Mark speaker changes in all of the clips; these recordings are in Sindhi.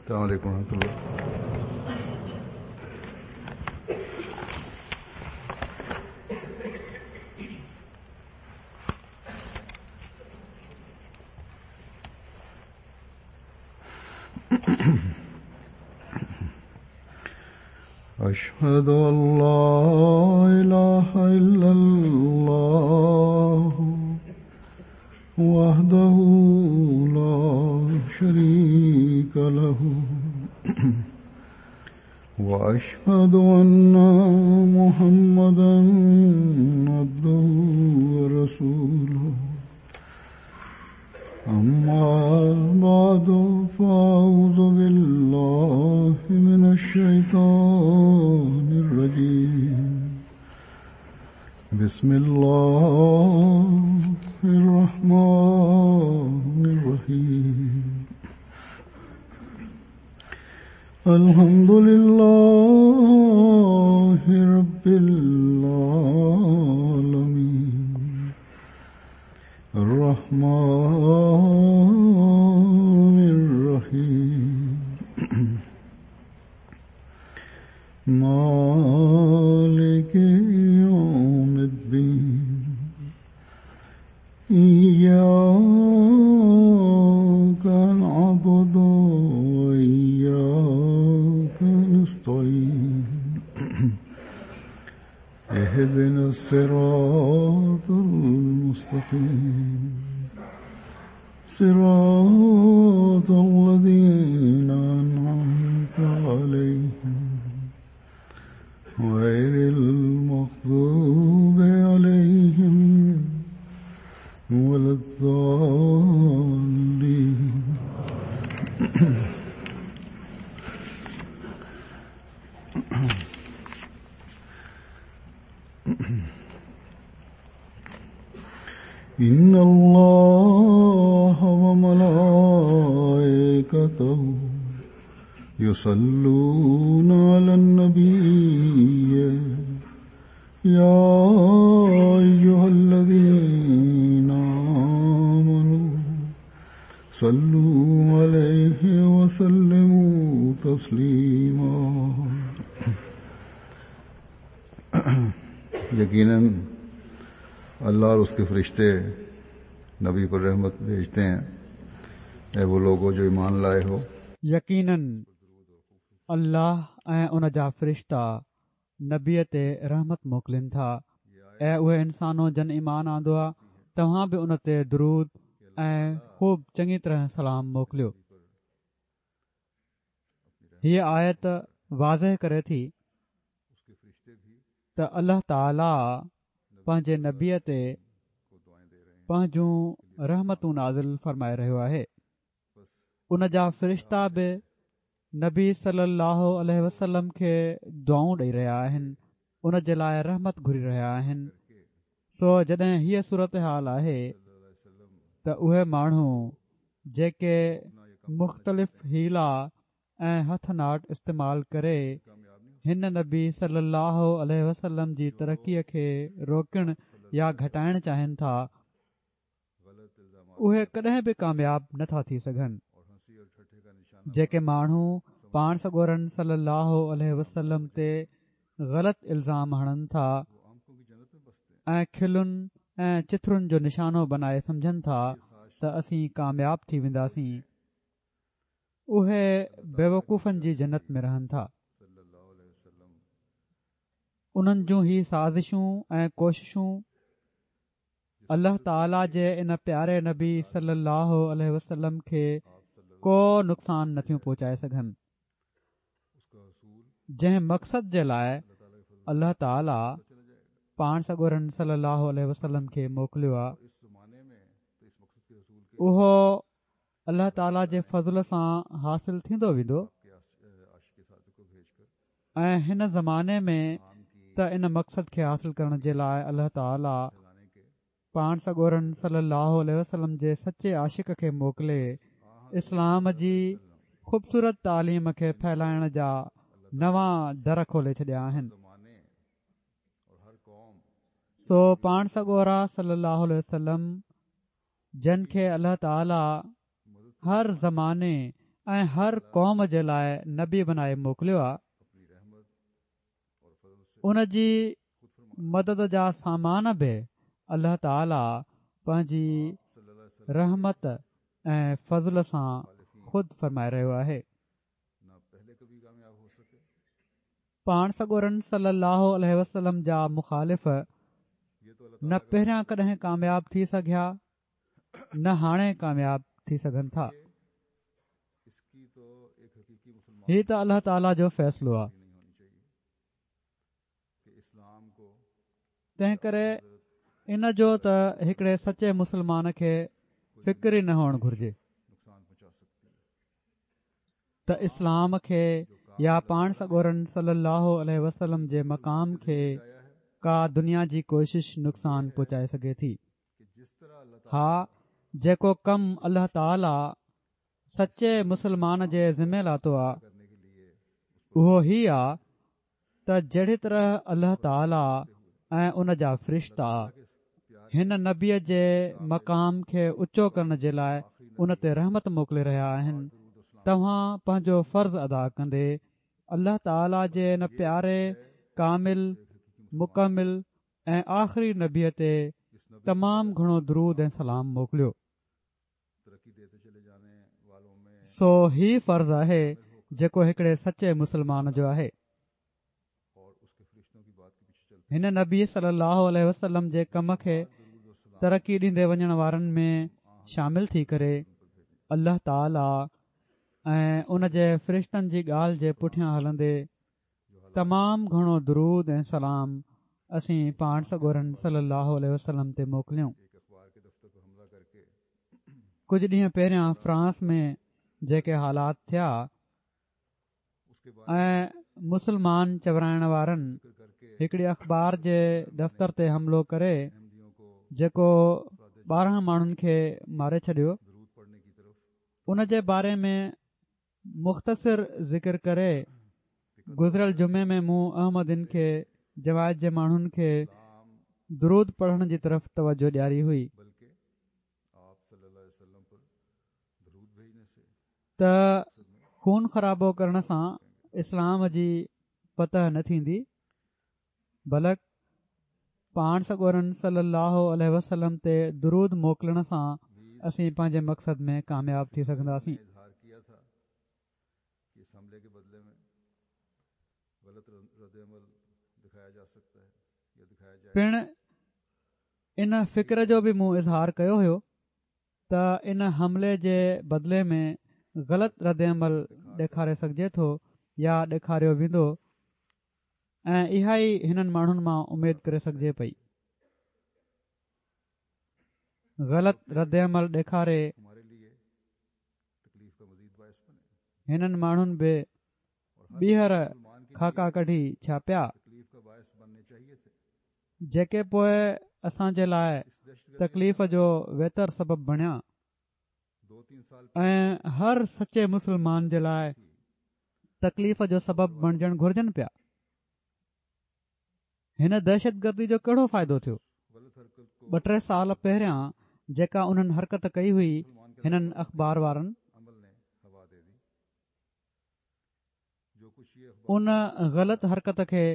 Speaker 1: السلام عليڪم ورحمة الله. اشهد ان لا اله الا الله وحده لا شريك له واشهد ان محمدا عبده ورسوله اما بعد فاعوذ بالله من الشيطان الرجيم بسم الله الرحمن الرحيم الحمد لله رب العالمين الرحمن الرحيم مالك يوم الدين إياك نعبد وإياك نستعين اهدنا الصراط المستقيم صراط الذين أنعمت عليهم غير المغضوب عليهم ولا الضالين. إن الله وملائكته يصلون على النبي يا أيها الذين آمنوا صلوا عليه وسلموا تسليما.
Speaker 2: यकीनन अल्लाह और उसके फरिश्ते नबी पर रहमत भेजते हैं, ऐ वो लोगो जो ईमान लाए हो।
Speaker 3: यकीनन अल्लाह ऐं उन जा फ़रिश्ता नबीअ ते रहमत मोकिलिनि था। ऐं उहे इंसानो जन ईमान आंदो आहे, तव्हां बि उन ते दुरूद ऐं ख़ूब चङी तरह सलाम मोकिलियो। हीअ आयत वाज़ेह करे थी त अल्लाह ताला पंहिंजे नबीअ ते पंहिंजूं रहमतूं नाज़िल फरमाए रहियो आहे। उन जा फ़रिश्ता बि नबी सल्लल्लाहु अलैहि वसल्लम खे दुआऊं ॾेई रहिया आहिनि, उन जे लाइ रहमत घुरी रहिया आहिनि। सो जॾहिं हीअ सूरत हाल आहे त उहे माण्हू जेके मुख़्तलिफ़ हीला ऐं हथ not इस्तेमाल करे हिन नबी सल्लल्लाहु अलैहि वसल्लम जी तरक़ीअ खे रोकण या घटाइण चाहिनि था, उहे कॾहिं बि कामयाब नथा थी सघनि। जेके माण्हू पाण सڳورن सल्लल्लाहु अलैहि वसल्लम ते ग़लति इल्ज़ाम हणनि था ऐं खिलुनि ऐं चिथरुनि जो निशानो बनाए सम्झनि था त असीं कामयाब थी वेंदासीं, उहे बेवकूफ़नि जी जन्नत में रहनि था। उन्हनि जूं ही साज़िशूं ऐं कोशिशूं अल्लाह ताला जे इन प्यारे नबी सल्लल्लाहु अलैहि वसल्लम खे को नुक़सान नथियूं पहुचाए सघनि। जंहिं मक़सद जे लाइ अल्लाह ताला पाण सڳورن सल्लल्लाहु अलैहि वसल्लम खे मोकिलियो आहे, उहो अल्लाह ताला जे फ़ज़ल सां हासिल थींदो वेंदो ऐं हिन ज़माने में त इन मक़सद खे हासिल करण जे लाइ अल्लाह ताला पाण सڳورن सल्लल्लाहु अलैहि वसल्लम जे सचे आशिक खे मोकिले इस्लाम जी ख़ूबसूरत तालीम खे फैलाइण जा नवां दर खोले छॾिया आहिनि। सो पाण सڳورا सल्लल्लाहु अलैहि वसल्लम जन खे अल्लाह ताला हर ज़माने ۽ هر قوم جي لاء نبي بنائي موڪليو آ، ان جي مدد جا سامان به الله تعالي پنهنجي رحمت ۽ فضل سان خود فرمائي رهيو آهي. پاڻ سڳورن صلّي اللّٰه عليه وسلّم جا مخالف نه پهريان ڪڏهن ڪامياب ٿي سگهيا نه هاڻي ڪامياب ٿي سگهن ٿا. هي ته الله تعاليٰ جو فيصلو آهي. تنهن ڪري ان جو ته هڪڙي سچي مسلمان کي فڪر ئي نه هئڻ گهرجي. ته اسلام کي يا پاڻ سڳورن صلي الله عليه وسلم جي مقام کي ڪا دنيا جي ڪوشش نقصان پهچائي سگهي ٿي. ها جيڪو ڪم الله تعالي سچي مسلمان جي ذمي لاتو آ اهو هي آ ته جهڙي طرح الله تعالي ۽ ان جا فرشتا هن نبيء جي مقام کي اوچو ڪرڻ جي لاء ان تي رحمت موڪلي رهيا آهن توهان پنهنجو فرض ادا ڪندي الله تعالي جي ان پياري ڪامل مڪمل ۽ آخري نبيء تي تمام گهڻو درود ۽ سلام موڪليو. سو هي فرض آهي جيڪو هڪڙي سچي مسلمان جو آهي. هن نبي صلي الله عليه وسلم جي ڪم کي ترقي ڏيندي وڃڻ وارن ۾ شامل ٿي ڪري الله تعالي ۽ ان جي فرشتن جي ڳالهه جي پٺيان هلندي تمام گهڻو درود ۽ سلام اسين پاڻ سڳورن صلي الله عليه وسلم تي موڪليون. ڪجهه ڏينهن پهريان فرانس ۾ جيڪي حالات ٿيا ۽ مسلمان چورائڻ وارن هڪڙي اخبار جي دفتر تي حملو ڪري جيڪو 12 ماڻهن کي ماري ڇڏيو ان جي باري ۾ مختصر ذڪر ڪري گذريل جمعي ۾ مون احمدين کي جماعت جي ماڻهن کي درود پڙهڻ جي طرف توجه ڏياري هئي ته خون خرابو ڪرڻ سان اسلام جي فتح نه ٿيندي بلڪ پاڻ سڳورن صلّي اللّٰه عليه وسلّم تي درود موڪلڻ سان اسين پنهنجي مقصد ۾ ڪامياب ٿي سگهنداسين. پڻ ان فڪر جو به مون اظهار ڪيو هيو ته ان حملي جي بدلي ۾ غلط ردعمل ڏيکاري سگهجي ٿو يا ڏيکاريو ويندو ۽ اها ئي هنن ماڻهن مان اميد ڪري سگهجي پئي. غلط ردعمل ڏيکاري هنن ماڻهن به ٻيهر خاڪا ڪڍي ڇاپيا، جيڪي پوء اسان جي لاء تڪليف جو ويتر سبب بڻيا. ۽ هر سچي مسلمان جي لاء تڪليف جو سبب بڻجڻ گهرجن پيا. هن دهشتگردي جو ڪهڙو فائدو ٿيو؟ ٻه ٽي سال پهريان جيڪا انهن حرڪت ڪئي هئي هنن اخبار وارن ان غلط حرڪت کي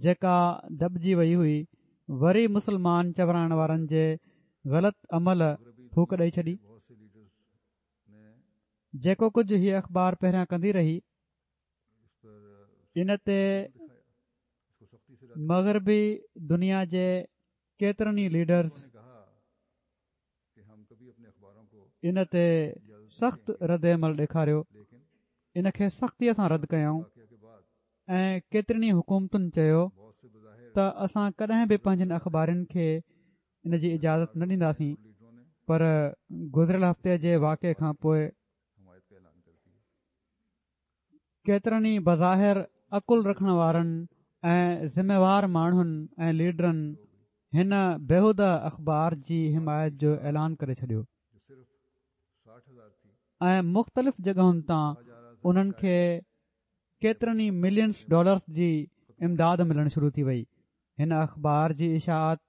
Speaker 3: جيڪا دٻجي وئي هئي وري مسلمان چورائڻ وارن جي غلط عمل ڦوڪ ڏئي ڇڏي. جيڪو ڪجهه هي اخبار پهريان ڪندي رهي ان تي مغربي دنيا جي ڪيترن ئي ليڊرز ان تي سخت رد عمل ڏيکاريو ان کي سختيء سان رد ڪيائون ۽ ڪيترين ئي حڪومتن چيو ته اسان ڪڏهن به پنهنجن اخبارين کي ان جي اجازت نه ڏينداسين پر گذريل هفتي جي واقعي کان پوء ڪيترن ئي بظاهر عقل رکڻ وارن ۽ ذميوار ماڻهن ۽ ليڊرن هن بيهوده اخبار جي حمايت جو اعلان ڪري ڇڏيو ۽ مختلف جڳهن تان انهن کي ڪيترن ئي ملينس ڊالرز جي امداد ملڻ شروع ٿي وئي هن اخبار جي اشاعت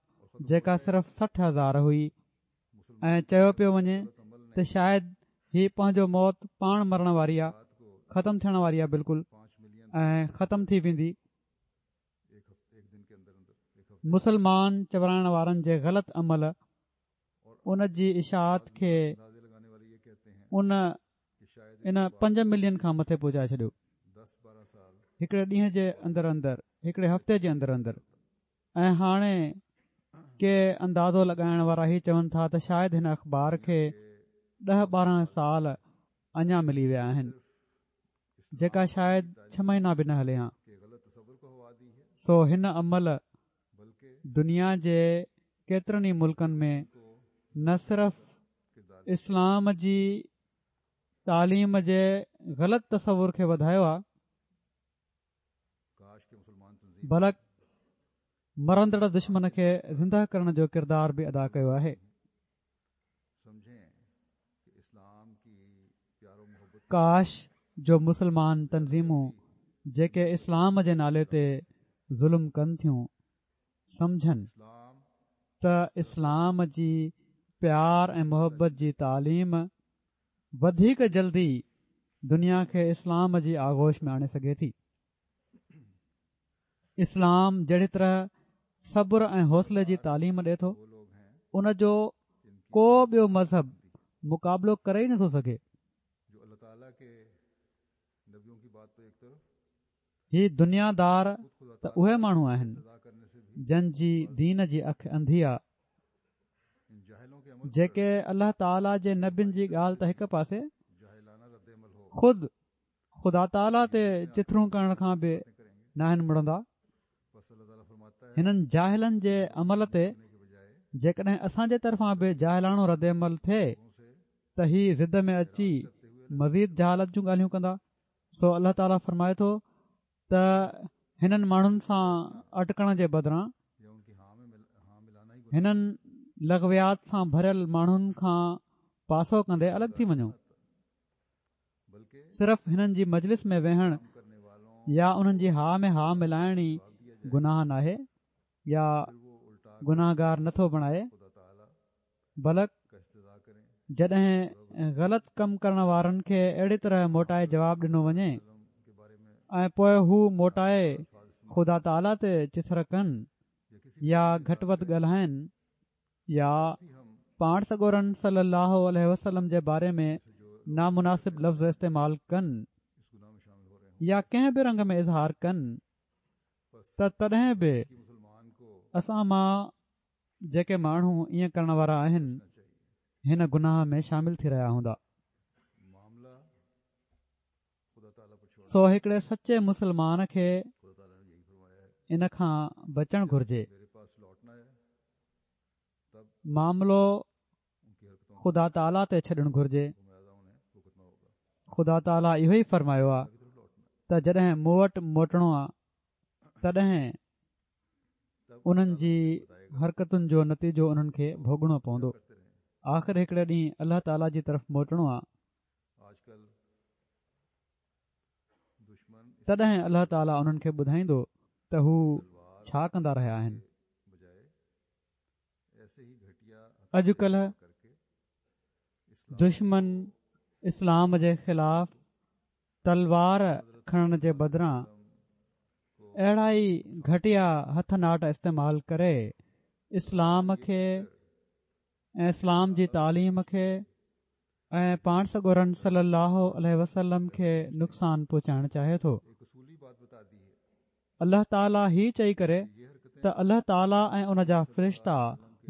Speaker 3: جيڪا صرف 60,000 هئي ۽ چيو پيو وڃي ته شايد هي پنهنجو موت پاڻ مرڻ واري آ، ختم ٿيڻ واري آ بلڪل ۽ ختم ٿي ويندي. مسلمان چورائڻ وارن جي غلط عمل ان جي اشاعت کي ان ان پنج ملين کان مٿي پهچائي ڇڏيو هڪڙي ڏينهن جي اندر اندر هڪڙي هفتي جي اندر اندر. ۽ هاڻي ڪي اندازو لڳائڻ وارا هي چون ٿا ته شايد هن اخبار کي ڏهه 12 سال اڃا ملي ويا آهن جيڪا شايد ڇهه مهينا به نه هلي هان. سو هن عمل دنيا جي ڪيترن ئي ملڪن ۾ نه صرف اسلام جي تعليم جي غلط تصور کي وڌايو آهي بلڪ مرندڙ دشمن کي زنده ڪرڻ جو ڪردار به ادا ڪيو آهي. ڪاش جو مسلمان تنظيمون جيڪي اسلام جي نالي تي ظلم ڪن ٿيون سمجهن ته اسلام جي پيار ۽ محبت جي تعليم وڌيڪ جلدي دنيا کي اسلام جي آغوش ۾ آڻي سگهي ٿي. اسلام جهڙي طرح صبر ۽ حوصلي جي تعليم ڏي ٿو ان جو ڪو ٻيو مذهب مقابلو ڪري ئي نٿو سگهي. هي دنيا دار ته اهي ماڻهو آهن جن جي دين جي اک انڌي آ جيڪي الله تعاليٰ جي نبين جي ڳالهه ته هڪ پاسي خود خدا تعاليٰ تي چٿرون ڪرڻ کان به ناهن مڙندا هنن جاهلن جي عمل تي جيڪڏهن اسان جي طرفان به جاهلاڻو رد عمل ٿئي ته هي ضد ۾ اچي مزيد جهالت جون ڳالهيون ڪندا سو الله تعاليٰ فرمائي ٿو ته هنن ماڻهن سان اٽڪڻ جي بدران هنن لغويات سان ڀريل ماڻهن کان پاسو ڪندي الڳ ٿي وڃو. صرف هنن جي مجلس ۾ ويهڻ يا انهن جي ها ۾ ها ملائڻ ئي گناهه ناهي يا گناهگار نٿو بڻائي. بلڪ جڏهن غلط ڪم ڪرڻ وارن کي اهڙي طرح موٽائي جواب ڏنو وڃي ۽ پوء هو موٽائي خدا تعاليٰ تي چٿر ڪن يا گهٽ وڌ ڳالهائن يا پاڻ سڳورن صلي الله عليه وسلم جي باري ۾ نامناسب لفظ استعمال ڪن يا ڪنهن به رنگ ۾ اظهار ڪن ته تڏهن به اسان مان جيڪي ماڻهو ائين ڪرڻ وارا آهن هن گناهه ۾ شامل ٿي رهيا هوندا. سو هڪڙي سچي مسلمان کي ان کان بچڻ گهرجي. معاملو خدا تعاليٰ تي ڇڏڻ گهرجي. خدا تعاليٰ اهو ئي فرمايو آهي ته جڏهن مون وٽ موٽڻو آهي تڏهن انهن جي حرڪتن جو نتيجو انهن کي ڀوڳڻو پوندو. آخر هڪڙي ڏينهن الله تعاليٰ جي طرف موٽڻو آ. تڏهن الله تعاليٰ انهن کي ٻڌائيندو ته هو ڇا ڪندا رهيا آهن. اڄڪلهه دشمن اسلام جي خلاف تلوار کڻڻ جي بدران اهڙا ئي گهٽيا هٿ not استعمال ڪري اسلام کي ۽ اسلام جي تعليم کي ۽ پاڻ سڳورن صلي الله عليه وسلم کي نقصان پهچائڻ چاهي ٿو. الله تعالي هي چئي ڪري ته الله تعالي ۽ ان جا فرشتا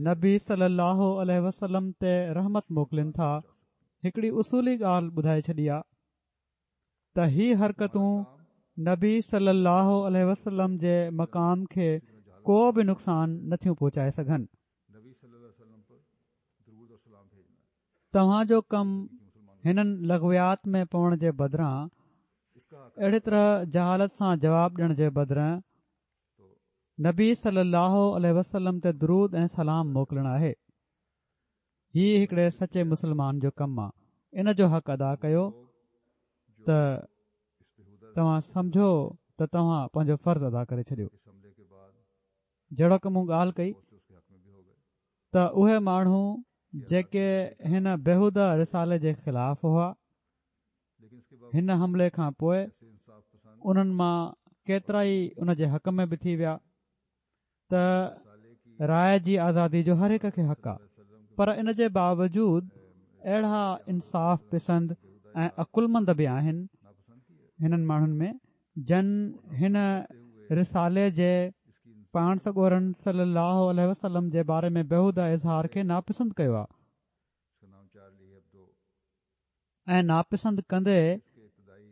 Speaker 3: نبي صلي الله عليه وسلم تي رحمت موڪلين ٿا هڪڙي اصولي ڳالهه ٻڌائي ڇڏي آ. ته هي حرڪتون نبي صلي الله عليه وسلم جي مقام کي ڪو به نقصان نٿيون پهچائي سگهن. توهان جو ڪم هنن لغويات ۾ پوڻ جي بدران اهڙي طرح جهالت سان جواب ڏيڻ جي بدران نبي صلي الله عليه وسلم تي درود ۽ سلام موڪلڻ آهي. هي هڪڙي سچي مسلمان جو ڪم آ ان جو حق ادا ڪيو ته توهان سمجهو ته توهان پنهنجو فرض ادا ڪري ڇڏيو جهڙوڪ مون ڳالهه ڪئي ته اهي ماڻهو جيڪي هن بيهوده رسالي جي خلاف هئا. هن حملي کان پوء انهن مان ڪيترائي ان جي حق ۾ به ٿي ويا ته راء جي آزادي جو هر هڪ کي حق آ پر ان جي باوجود اهڙا انصاف پسند ۽ عقلمند به آهن هنن ماڻهن ۾ جن هن رسالي جي پاڻ سڳورن صلي الله عليه وسلم جي باري ۾ بيهوده اظهار کي ناپسند ڪيو آهي ۽ ناپسند ڪندي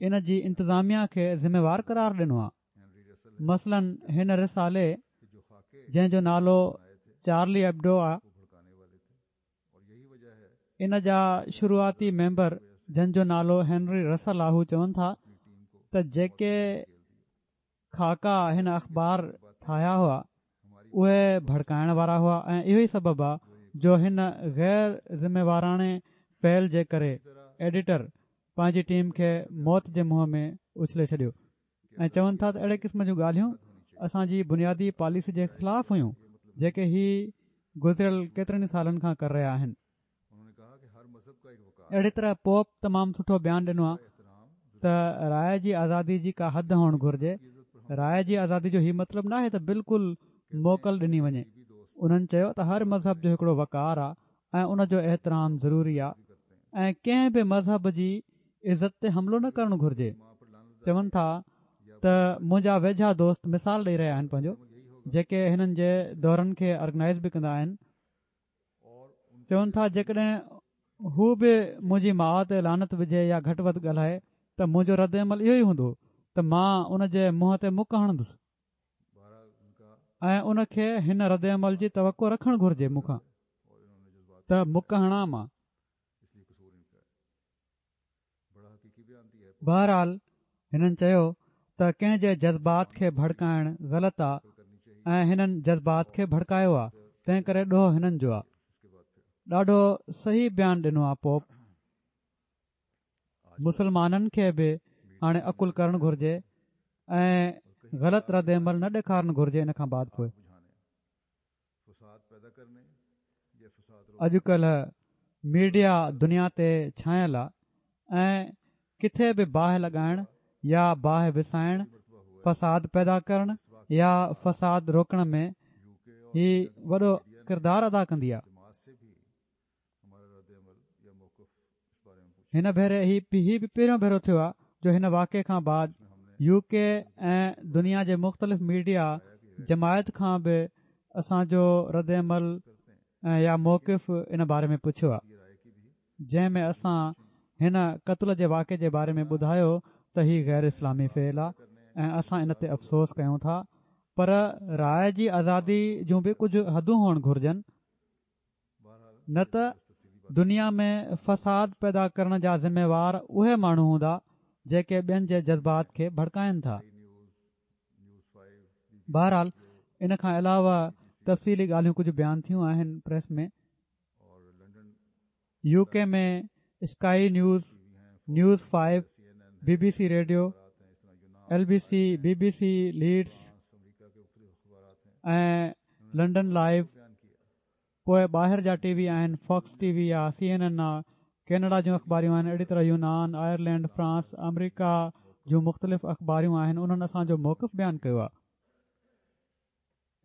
Speaker 3: ان جي انتظاميا کي ذميوار قرار ڏنو آهي مثلاً هن رسالي جنهن جو نالو چارلي ايبڊو آهي ان جا شروعاتي ميمبر جن جو نالو هينري رسل آ هو چون ٿا ته جيڪي خاڪا هن اخبار ٺاهيا هئا اهي ڀڙڪائڻ وارا هئا ۽ اهو ئي سبب آ جو هن غير ذميواراڻي فعل جي ڪري ايڊيٽر پنهنجي ٽيم کي موت جي منهن ۾ اڇلي ڇڏيو. ۽ چون ٿا ته اهڙي قسم جون ڳالهيون اسان جي بنيادي پاليسي جي خلاف هيون جيڪي هي گذريل ڪيترن ئي سالن کان ڪري رهيا آهن. اهڙي طرح پوپ تمام سٺو بيان ڏنو آهي ته راء جي آزادي جي ڪا حد هئڻ گهرجي، راء جي آزادي جو هي مطلب ناهي ته بلڪل موڪل ڏني وڃي. انهن چيو ته هر مذهب جو هڪڙو وقار آهي ۽ ان جو احترام ضروري آهي ۽ ڪنهن به مذهب جي عزت تي حملو نه ڪرڻ گهرجي. چون ٿا ته منهنجا ويجها دوست مثال ڏئي رهيا آهن پنهنجو جيڪي هنن جي دورن کي آرگنائيز به ڪندا آهن چون ٿا جيڪڏهن هو به منهنجي ماء تي لعنت وجهي يا گهٽ وڌ ڳالهائي ته منهنجو رد عمل اهو ئي هوندو ته مان ان جي منهن تي مڪ هڻندس ۽ ان کي هن رد عمل جي توقع رکڻ گهرجي مون کان ته مڪ هڻان مان. بهرحال هنن چيو ته ڪنهن جي جذبات کي ڀڙڪائڻ غلط آ ۽ هنن جذبات کي ڀڙڪايو آ تنهن ڪري ڏوهه هنن جو آ. ڏاڍو صحيح بيان ڏنو آ پوپ. مسلمانن کي به هاڻي عقل ڪرڻ گهرجي ۽ غلط ردعمل نه ڏيکارڻ گهرجي ان کان بعد پوء. اڄڪلهه ميڊيا دنيا تي ڇانيل آ ۽ ڪٿي به باهه لڳائڻ يا باهه وسائڻ، فساد پيدا ڪرڻ يا فساد روڪڻ ۾ هي وڏو ڪردار ادا ڪندي آ. هن ڀيري هي به پهريون ڀيرو ٿيو آهي جو هن واقعي کان بعد يو ڪي ۽ دنيا جي مختلف ميڊيا جماعت کان به اسان جو رد عمل يا موقف ان باري ۾ پڇيو آهي جنهن ۾ اسان هن قتل جي واقعي جي باري ۾ ٻڌايو ته هي غير اسلامي فعل آهي ۽ اسان ان تي افسوس ڪيون ٿا پر راء جي آزادي جون به ڪجهه حدون هئڻ گهرجن نه ته دنيا ۾ فساد پيدا ڪرڻ جا ذميوار اهي ماڻهو هوندا جيڪي ٻين جي جذبات کي ڀڙڪائن ٿا. بهرحال ان کان علاوه تفصيلي ڳالهيون ڪجهه بيان ٿيون آهن پريس ۾. يو ڪي ۾ Sky News, News five, B B C radio, L B C, B B C Leeds ۽ London live, پوء ٻاهر جا ٽي وي آهن، فاڪس ٽي وي آ، سي اين اين آ، ڪينيڊا جون اخباريون آهن، اهڙي طرح يونان، آئرلينڊ، فرانس، آمريڪا جون مختلف اخباريون آهن انهن اسان جو موقف بيان ڪيو آ.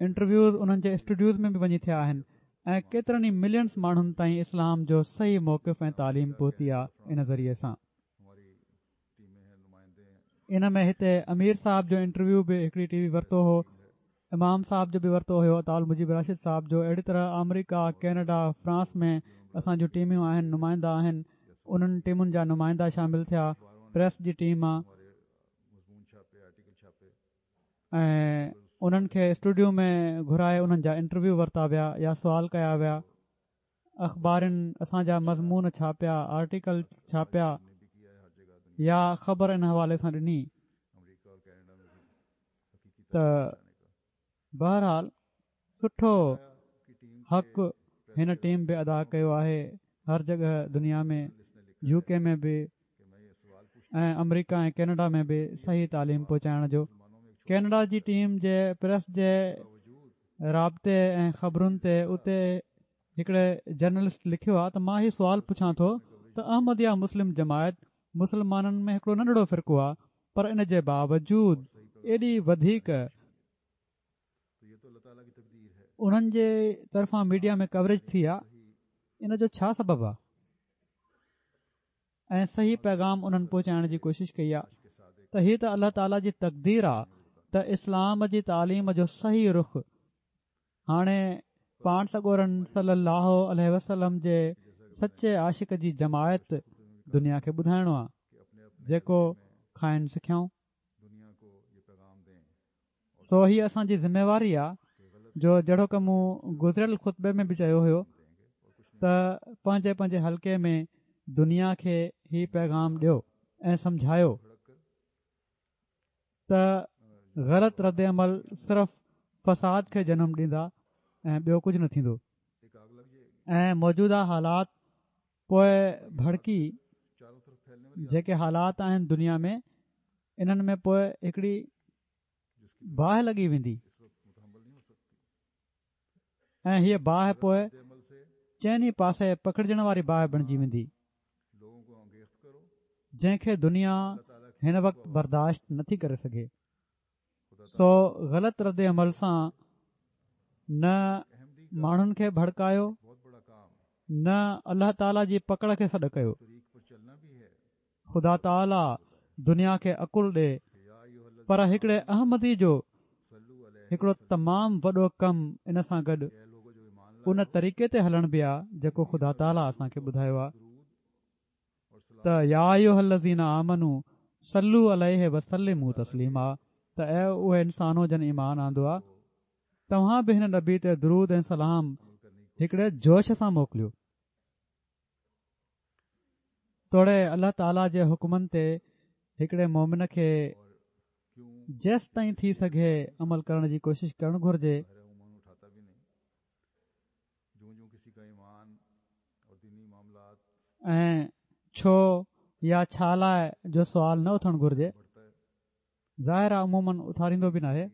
Speaker 3: انٽرويوز انهن جي اسٽوڊيوز ۾ به وڃي ٿيا آهن ۽ ڪيترن ئي ملينز ماڻهن تائين اسلام جو صحيح موقف ۽ تعليم پهتي آ ان ذريعي سان. ان ۾ هتي امير صاحب جو انٽرويو به هڪڙي ٽي وي ورتو هو امام صاحب جو به ورتو هيو عطاء المجيب راشد صاحب جو اهڙي طرح آمريڪا ڪينيڊا فرانس ۾ اسان جون ٽيمون آهن نمائندا آهن انهن ٽيمن جا نمائندا شامل ٿيا پريس جي ٽيم آ ۽ انهن کي اسٽوڊيو ۾ گهرائي انهن جا انٽرويو ورتا ويا يا سوال ڪيا ويا اخبارن اسان جا مضمون ڇاپيا، آرٽيڪل ڇاپيا يا خبر ان حوالي سان ڏني ته بهرحال سٺو حق هن ٽيم به ادا ڪيو آهي هر جڳهه دنيا ۾ يو ڪي ۾ به ۽ آمريڪا ۽ ڪينيڊا ۾ به صحيح تعليم پهچائڻ جو ڪينيڊا جي ٽيم جي پريس جي رابطي ۽ خبرن تي اتي هڪڙي جرنلسٽ لکيو آهي ته مان هي سوال پڇان ٿو ته احمديه مسلم جماعت مسلمانن ۾ هڪڙو ننڍڙو فرقو آهي پر ان جي باوجود ايڏي وڌيڪ انهن جي طرفان ميڊيا ۾ ڪوريج ٿي آهي ان جو ڇا سبب آهي ۽ صحيح پيغام انهن پهچائڻ جي ڪوشش ڪئي آهي ته هي ته الله تعالي جي تقدير آهي ته اسلام جي تعليم جو صحيح رخ هاڻي پاڻ سڳورن صلي الله عليه وسلم جي سچي عاشق جي جماعت دنيا کي ٻڌائڻو آهي جيڪو کانئن سکيائون. سو هي اسان جي ذميواري آ جو جهڙوڪ مون گذريل خطبي ۾ به چيو هيو ته پنهنجي پنهنجي حلقي ۾ دنيا کي هي پيغام ڏيو ۽ سمجهايو ته غلط رد عمل صرف فساد کي جنم ڏيندا ۽ ٻيو ڪجهه نه ٿيندو ۽ موجوده حالات پوء ڀڙڪي جيڪي حالات آهن دنيا ۾ انهن ۾ پوء هڪڙي باهه لڳي ويندي ۽ هيء باهه پوء چئني پاسي پکڙجڻ واري باهه بڻجي ويندي جنهن کي دنيا هن وقت برداشت نٿي ڪري سگهي سو غلط رد عمل سان نه ماڻهن کي ڀڙڪايو نه الله تعالي جي پڪڙ کي سڏ ڪيو خدا تعاليٰ دنيا کي عقل ڏي پر هڪڙي احمدي جو هڪڙو تمام وڏو ڪم ان سان گڏ ان طريقي تي هلڻ به آ جيڪو خدا تعاليٰ اسان کي ٻڌايو آ ته يا ايها الذين آمنوا صلوا عليه وسلموا تسليما ته اي اهي انسانو جن ايمان آندو آ توهان به هن نبي تي درود ۽ سلام هڪڙي جوش سان موڪليو. توڙي الله تعاليٰ جي حڪمن تي هڪڙي مومن کي جيستائين ٿي سگهي عمل ڪرڻ جي ڪوشش ڪرڻ گهرجي. ۽ ڇو يا ڇا لاء جو سوال نه اٿڻ گهرجي. ظاهر آ عموماً اٿاريندو به ناهي.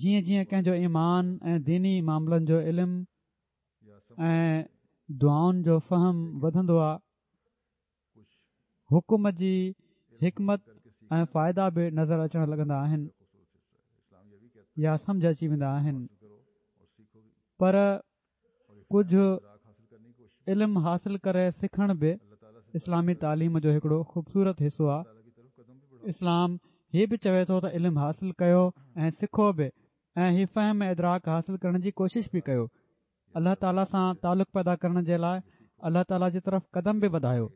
Speaker 3: جيئن جيئن ڪنهن جو ايمان ۽ ديني معاملن جو علم ۽ دعائن جو فهم وڌندو آ حڪم جي حڪمت ۽ فائدا به نظر اچڻ لڳندا آهن يا سمجه اچي ويندا آهن پر ڪجهه علم حاصل ڪري سکڻ به اسلامي تعليم جو هڪڙو خوبصورت حصو آ اسلام هي به چوي ٿو ته علم حاصل ڪيو ۽ سکو به ۽ هي فهم ۽ ادراڪ حاصل ڪرڻ جي ڪوشش به ڪيو الله تعالي سان تعلق پيدا ڪرڻ جي لاء الله تعالي جي طرف قدم به وڌايو.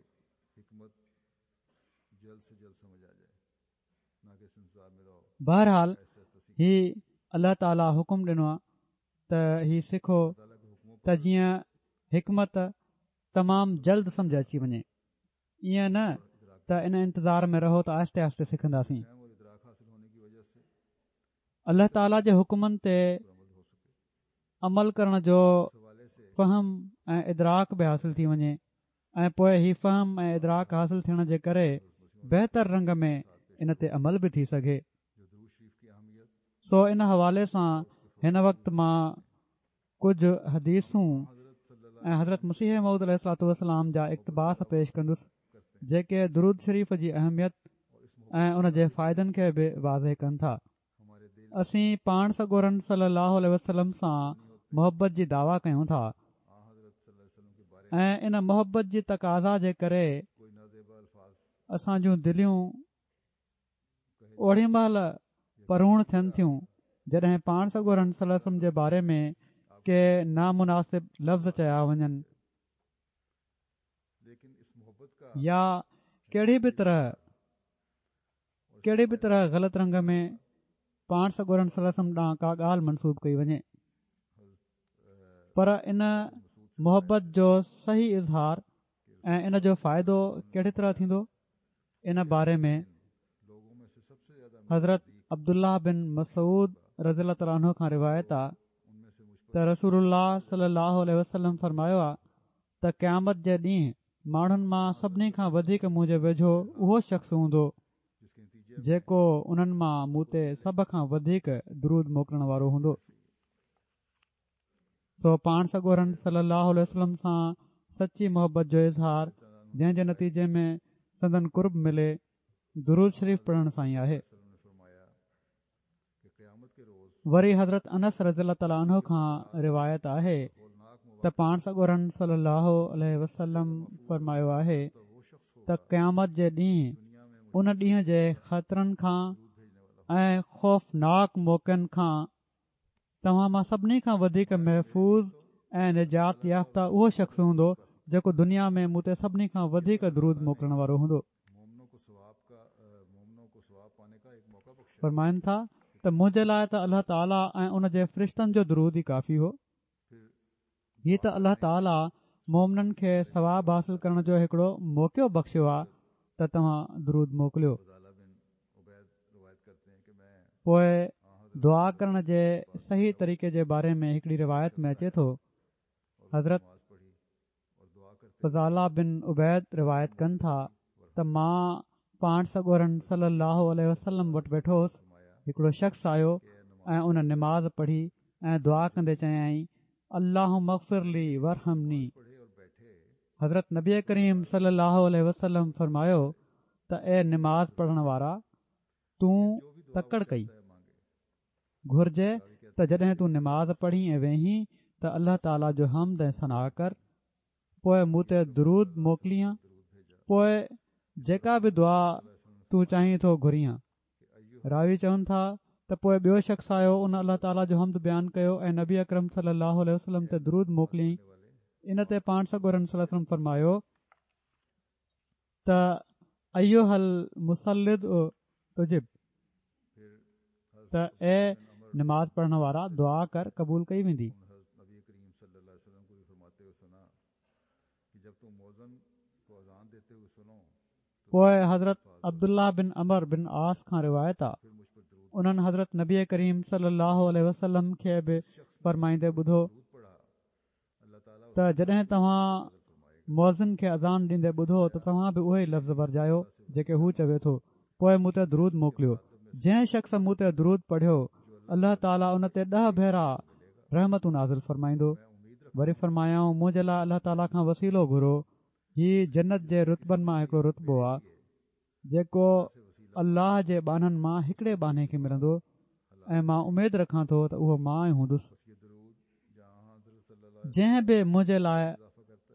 Speaker 3: بهرحال هي الله تعالي حڪم ڏنو آهي ته هي سکو ته جيئن حڪمت تمام جلد سمجه اچي وڃي ائين نه ته ان انتظار ۾ رهو ته آهستي آهستي سکنداسين. الله تعاليٰ جي حڪمن تي عمل ڪرڻ جو فهم ۽ ادراڪ به حاصل ٿي وڃي ۽ پوء هي فهم ۽ ادراڪ حاصل ٿيڻ جي ڪري بهتر رنگ ۾ ان تي عمل به ٿي سگهي سو ان حوالي سان هن وقت مان ڪجهه حديثون ۽ حضرت مسيح موعود عليه الصلوة والسلام جا اقتباس پيش ڪندس جيڪي درود شريف جي اهميت ۽ ان جي فائدن کي به واضح ڪن ٿا. اسين پاڻ سڳورن صلي الله عليه وسلم سان محبت جي دعويٰ ڪيون ٿا ۽ ان محبت جي تقاضا جي ڪري اسان جون دليون اوڏي مهل پروڻ ٿين ٿيون جڏهن پاڻ سڳورن صلي الله عليه وسلم جي باري ۾ ڪي نامناسب لفظ چيا وڃن يا ڪهڙي به طرح ڪهڙي به طرح غلط رنگ ۾ پاڻ سڳورن صلي الله عليه وسلم ڏانهن ڪا ڳالهه منسوب ڪئي وڃي پر ان محبت جو صحيح اظهار ۽ ان جو فائدو ڪهڙي طرح ٿيندو ان باري ۾ حضرت عبدالله بن مسعود رضي الله تعالٰي عنه کان روايت آ ته رسول الله صلي الله عليه وسلم فرمايو آ ته قيامت جي ڏينهن ماڻهن مان سڀني کان وڌيڪ منهنجي ويجهو اهو شخص هوندو جيڪو انهن مان مون تي سڀ کان وڌيڪ درود موڪلڻ وارو هوندو. سو پاڻ سڳورن صلي الله عليه وسلم سان سچي محبت جو اظهار جنهن جي نتيجي ۾ سندن قرب ملي درود شريف پڙهڻ سان ئي آهي. وري حضرت انس رضي الله تعالٰي عنه کان روايت آهي ته پاڻ سڳورن صلي الله عليه وسلم فرمايو آهي ته قيامت جي ڏينهن ان ڏينهن جي خطرن کان ۽ خوفناڪ موقعن کان توهان مان سڀني کان وڌيڪ محفوظ ۽ نجات يافته اهو شخص هوندو جيڪو دنيا ۾ مون تي سڀني کان وڌيڪ درود موڪلڻ وارو هوندو. فرمائن ٿا ته منهنجي لاء ته الله تعالي ۽ ان جي فرشتن جو درود ئي ڪافي هو. هي ته الله تعالي مومنن کي ثواب حاصل ڪرڻ جو هڪڙو موقعو بخشيو آهي ته توهان درود موڪليو. پوء دعا ڪرڻ جي صحيح طريقي جي باري ۾ هڪڙي روايت ۾ اچي ٿو حضرت فضاله بن عبيد روايت ڪن ٿا ته مان پاڻ سڳورن صلي الله عليه وسلم وٽ ويٺو هوس هڪڙو شخص آيو ۽ ان نماز پڙهي ۽ دعا ڪندي چيائين اللهم اغفر لي وارحمني حضرت نبي ڪريم صلي الله عليه وسلم فرمايو ته اي نماز پڙهڻ وارا تون تڪڙ ڪئي. گهرجي ته جڏهن تون نماز پڙهين ۽ ويهين ته الله تعالي جو حمد ۽ ثنا ڪر، پوء مون تي درود موڪلين، پوء جيڪا به دعا تون چاهين ٿو گهرين. راوي چون ٿا ته پوء ٻيو شخص آيو ان الله تعالي جو حمد بيان ڪيو ۽ نبي اڪرم صلي الله عليه وسلم تي درود موڪليائين ان تي پاڻ سڳورن صلي الله عليه وسلم فرمايو ته ايها المصلي ادع تجب ته اي نماز پڙهڻ وارا دعا ڪر قبول ڪئي ويندي. پوء حضرت عبدالله بن عمرو بن عاص کان روايت آ انهن حضرت نبي ڪريم صلي الله عليه وسلم کي به فرمائيندي ٻڌو ته جڏهن توهان مؤذن کي اذان ڏيندي ٻڌو ته توهان به اهي ئي لفظ ورجايو جيڪي هو چوي ٿو پوء مون تي درود موڪليو جنهن شخص مون تي درود پڙهيو الله تعالي ان تي ڏهه ڀيرا رحمتون نازل فرمائيندو وري فرمايائون منهنجي لاء الله تعالي کان وسيلو گهرو هي جنت جي رتبن مان هڪڙو رتبو آهي جيڪو الله جي ٻانهن مان هڪڙي ٻانهي کي ملندو ۽ مان اميد رکان ٿو ته اهو مان ئي هوندس. جنهن به منهنجي لاء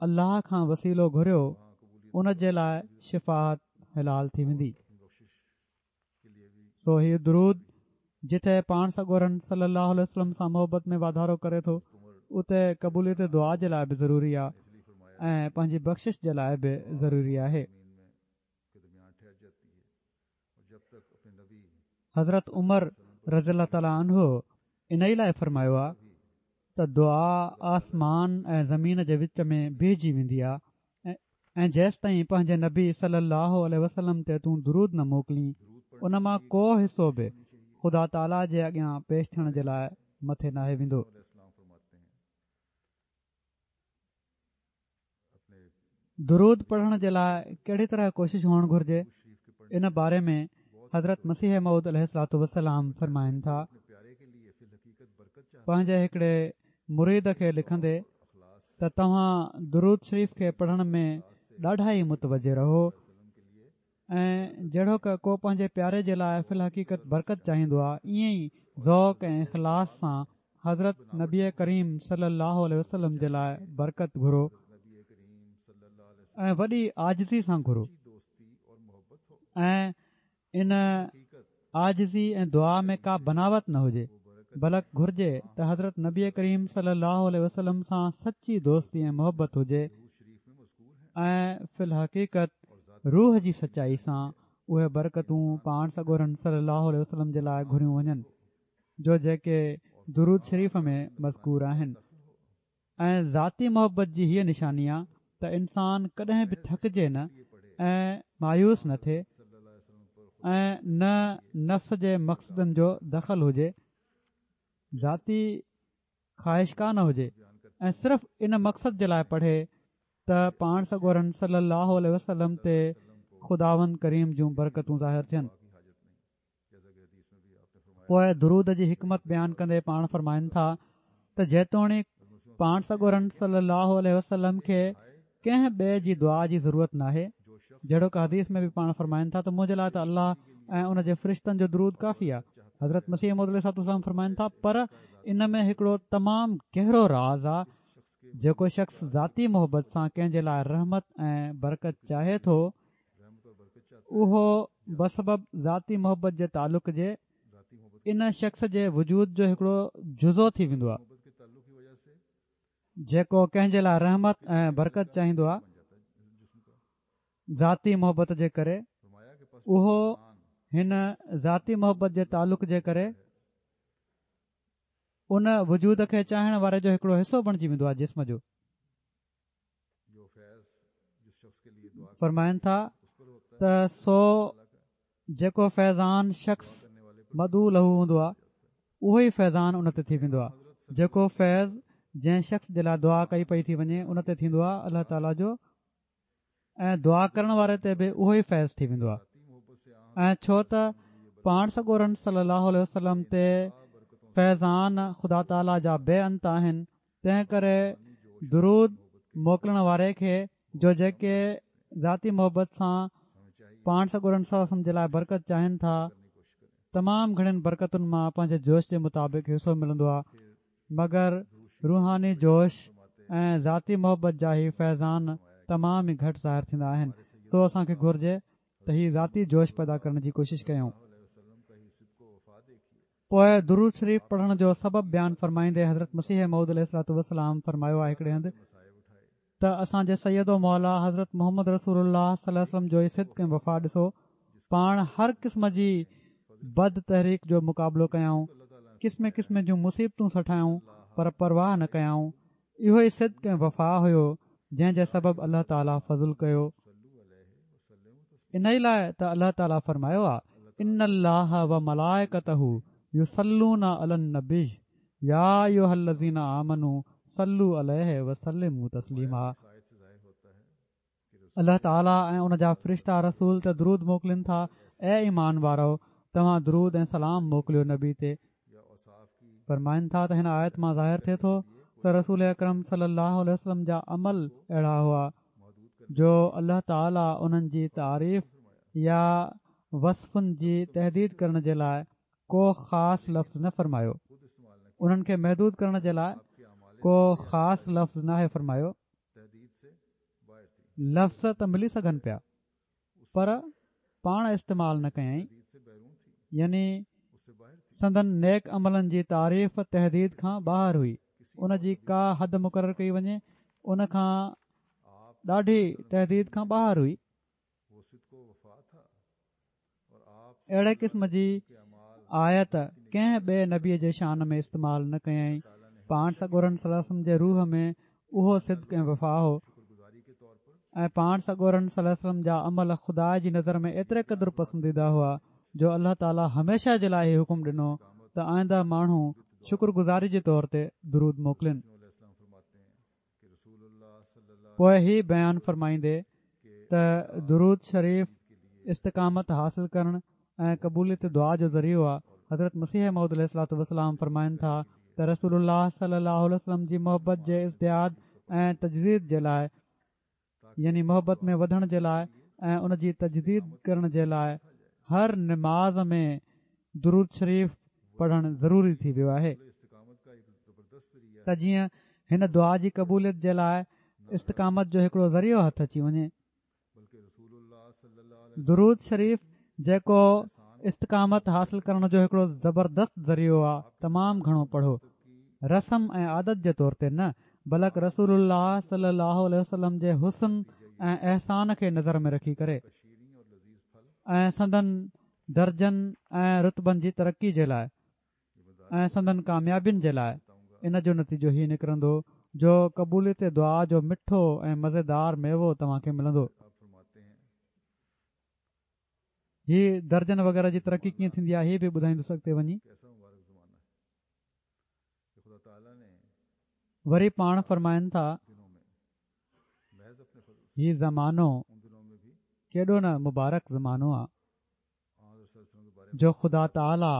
Speaker 3: الله کان وسيلو گهريو ان جي لاء شفاعت حلال ٿي ويندي. سو هي درود جتي پاڻ سڳورن صلي الله عليه وسلم سان محبت ۾ واڌارو ڪري ٿو اتي قبوليت دعا جي لاء به ضروري آهي ۽ پنهنجي بخشش جي لاء به ضروري آهي. حضرت عمر رضي الله تعالٰي عنه انهي لاء فرمايو آهي ته دعا آسمان ۽ زمين جي وچ ۾ بيهجي ويندي آهي ۽ جيستائين پنهنجي نبي صلي الله عليه وسلم تي تون درود نه موڪلين ان مان ڪو حصو به خدا تعاليٰ جي اڳيان پيش ٿيڻ جي لاء مٿي ناهي ويندو. درود پڙهڻ جي لاء ڪهڙي طرح ڪوشش هئڻ گهرجي ان باري ۾ حضرت مسيح موعود عليه الصلوة والسلام فرمائن ٿا پنهنجي هڪڙي مريد کي لکندي ته توهان درود شريف کي پڙهڻ ۾ ڏاڍا ئي متوجه رهو ۽ جهڙوڪ ڪو پنهنجي پياري جي لاء في الحقيقت برڪت چاهيندو آهي ائين ئي ذوق ۽ اخلاص سان حضرت نبي ڪريم صلي الله عليه وسلم جي لاء برڪت گهرو ۽ وڏي عاجزي سان گهرو ۽ ان عاجزي ۽ دعا ۾ ڪا بناوت نه هجي بلڪ گهرجي ته حضرت نبي ڪريم صلي الله عليه وسلم سان سچي دوستي ۽ محبت هجي ۽ في الحقيقت روح جي سچائي سان اهي برڪتون پاڻ سڳورن صلي الله عليه وسلم جي لاء گهريون وڃن جو جيڪي درود شريف ۾ مذڪور آهن. ۽ ذاتي محبت جي هيء نشاني آ ته انسان ڪڏهن به ٿڪجي نه ۽ مايوس نه ٿئي ۽ نه نفس جي مقصدن جو دخل هجي، ذاتي خواهش ڪا نه هجي ۽ صرف ان مقصد جي لاء پڙهي ته پاڻ سڳورن صلي الله عليه وسلم تي خداوند ڪريم جون برڪتون ظاهر ٿين. پوء درود جي حڪمت بيان ڪندي پاڻ فرمائن ٿا ته جيتوڻيڪ پاڻ سڳورن صلي الله عليه وسلم کي ڪنهن ٻئي جي دعا جي ضرورت ناهي جهڙوڪ حديث ۾ به پاڻ فرمائن ٿا ته منهنجي لاء ته الله ۽ ان جي فرشتن جو درود ڪافي آهي حضرت مسيح موعود عليه الصلوة والسلام فرمائن ٿا پر ان ۾ هڪڙو تمام گهرو راز آ جيڪو شخص ذاتي محبت سان ڪنهن جي لاء رحمت ۽ برڪت چاهي ٿو اهو بسبب ذاتي محبت جي تعلق جي ان شخص جي وجود جو هڪڙو جزو ٿي ويندو آهي جيڪو ڪنهن جي لاء رحمت ۽ برڪت چاهيندو آهي ذاتي محبت جي ڪري اهو هن ذاتي محبت جي تعلق جي ڪري ان وجود کي چاهڻ واري جو هڪڙو حصو بڻجي ويندو آهي جسم جو فرمائن ٿا ته سو جيڪو فيضان شخص مدعو له هوندو آهي اهو ئي فيضان ان تي ٿي ويندو آهي جيڪو فيض جنهن شخص جي لاء دعا ڪئي پئي ٿي وڃي ان تي ٿيندو آهي الله تعاليٰ جو ۽ دعا ڪرڻ واري تي به اهو ئي فيض ٿي ويندو آهي ۽ ڇو ته پاڻ سڳورن صلي الله عليه وسلم تي فيضان خدا تعاليٰ جا بي انت آهن تنهن ڪري درود موڪلڻ واري کي جو جيڪي ذاتي محبت سان پاڻ سڳورن صلي الله عليه وسلم جي لاء برڪت چاهين ٿا تمام گهڻين برڪتن مان پنهنجي جوش جي مطابق حصو ملندو آهي مگر روحاني جوش ۽ ذاتي محبت جا هي فيضان تمام ئي گهٽ ظاهر ٿيندا آهن، سو اسان کي گهرجي ته هي ذاتي جوش پيدا ڪرڻ جي ڪوشش ڪيون. پوء درود شريف پڙهڻ جو سبب بيان فرمائيندي حضرت مسيح موعود عليه الصلوة والسلام فرمايو آهي هڪڙي هنڌ ته اسان جي سيد و مولا حضرت محمد رسول الله صلي الله عليه وسلم جو هي صدق ۽ وفا ڏسو پاڻ هر قسم جي بد تحريڪ جو مقابلو ڪيائون قسم قسم جون مصيبتون سٺايائون پر پرواهه نه ڪيائون اهو ئي صدق ۽ وفا هيو جنهن جي سبب الله تعالي فضل ڪيو انهي لاء ته الله تعالي فرمايو آ ان الله وملائڪته يصلون علي النبي يا ايها الذين آمنوا صلوا عليه وسلموا تسليما الله تعالي ۽ ان جا فرشتا رسول تي درود موڪلين ٿا اي ايمان وارؤ توهان درود ۽ سلام موڪليو نبي تي فرمائن ٿا ته هن آيت مان ظاهر ٿئي ٿو ته رسول اڪرم صلي الله عليه وسلم جا عمل اهڙا هئا جو الله تعالي انهن جي تعريف يا وصفن جي تحديد ڪرڻ جي لاء ڪو خاص لفظ نه فرمايو انهن کي محدود ڪرڻ جي لاء ڪو خاص لفظ ناهي فرمايو لفظ ته ملي سگهن پيا پر پاڻ استعمال نه ڪيائين يعني سندن نيڪ عملن جي تعريف تحديد کان ٻاهر هئي ان جي ڪا حد مقرر ڪئي وڃي ان کان ڏاڍي تحديد کان ٻاهر هئي اهڙي قسم جي آيت ڪنهن ٻئي نبي جي شان ۾ استعمال نه ڪيائين. پاڻ سڳورن صلي الله عليه وسلم جي روح ۾ اهو صدق ۽ وفا هو ۽ پاڻ سڳورن صلي الله عليه وسلم جا عمل خدا جي نظر ۾ ايتري قدر پسنديده هئا جو الله تعالي هميشه جي لاء هي حڪم ڏنو ته آئنده ماڻهو شڪر گذاري جي طور تي درود موڪلين. پوء هي بيان فرمائيندي ته درود شريف استقامت حاصل ڪرڻ ۽ قبوليت دعا جو ذريعو آهي حضرت مسيح موعود عليه الصلوة والسلام فرمائن ٿا ته رسول الله صلي الله عليه وسلم جي محبت جي ازدياد ۽ تجديد جي لاء يعني محبت ۾ وڌڻ جي لاء ۽ ان جي تجديد ڪرڻ جي لاء هر نماز ۾ درود شريف پڙهڻ ضروري ٿي ويو آهي ته جيئن هن دعا جي قبوليت جي لاء استقامت جو هڪڙو ذريعو هٿ اچي وڃي. درود شريف جيڪو استقامت حاصل ڪرڻ جو هڪڙو زبردست ذريعو آ تمام گهڻو پڙهو رسم ۽ عادت جي طور تي نه بلڪ رسول الله صلي الله عليه وسلم جي حسن ۽ احسان کي نظر ۾ رکي ڪري ۽ سندن درجن ۽ رتبن جي ترقي جي لاء ۽ سندن ڪاميابين جي لاء ان جو نتيجو هي نڪرندو جو قبوليت دعا جو مٺو ۽ مزيدار ميوو توهان کي ملندو. هي درجن وغيره جي ترقي ڪيئن ٿيندي آهي هي به ٻڌائيندس اڳتي وڃي. وري پاڻ فرمائن ٿا هي زمانو ڪيڏو نه مبارڪ زمانو آ جو خدا تعاليٰ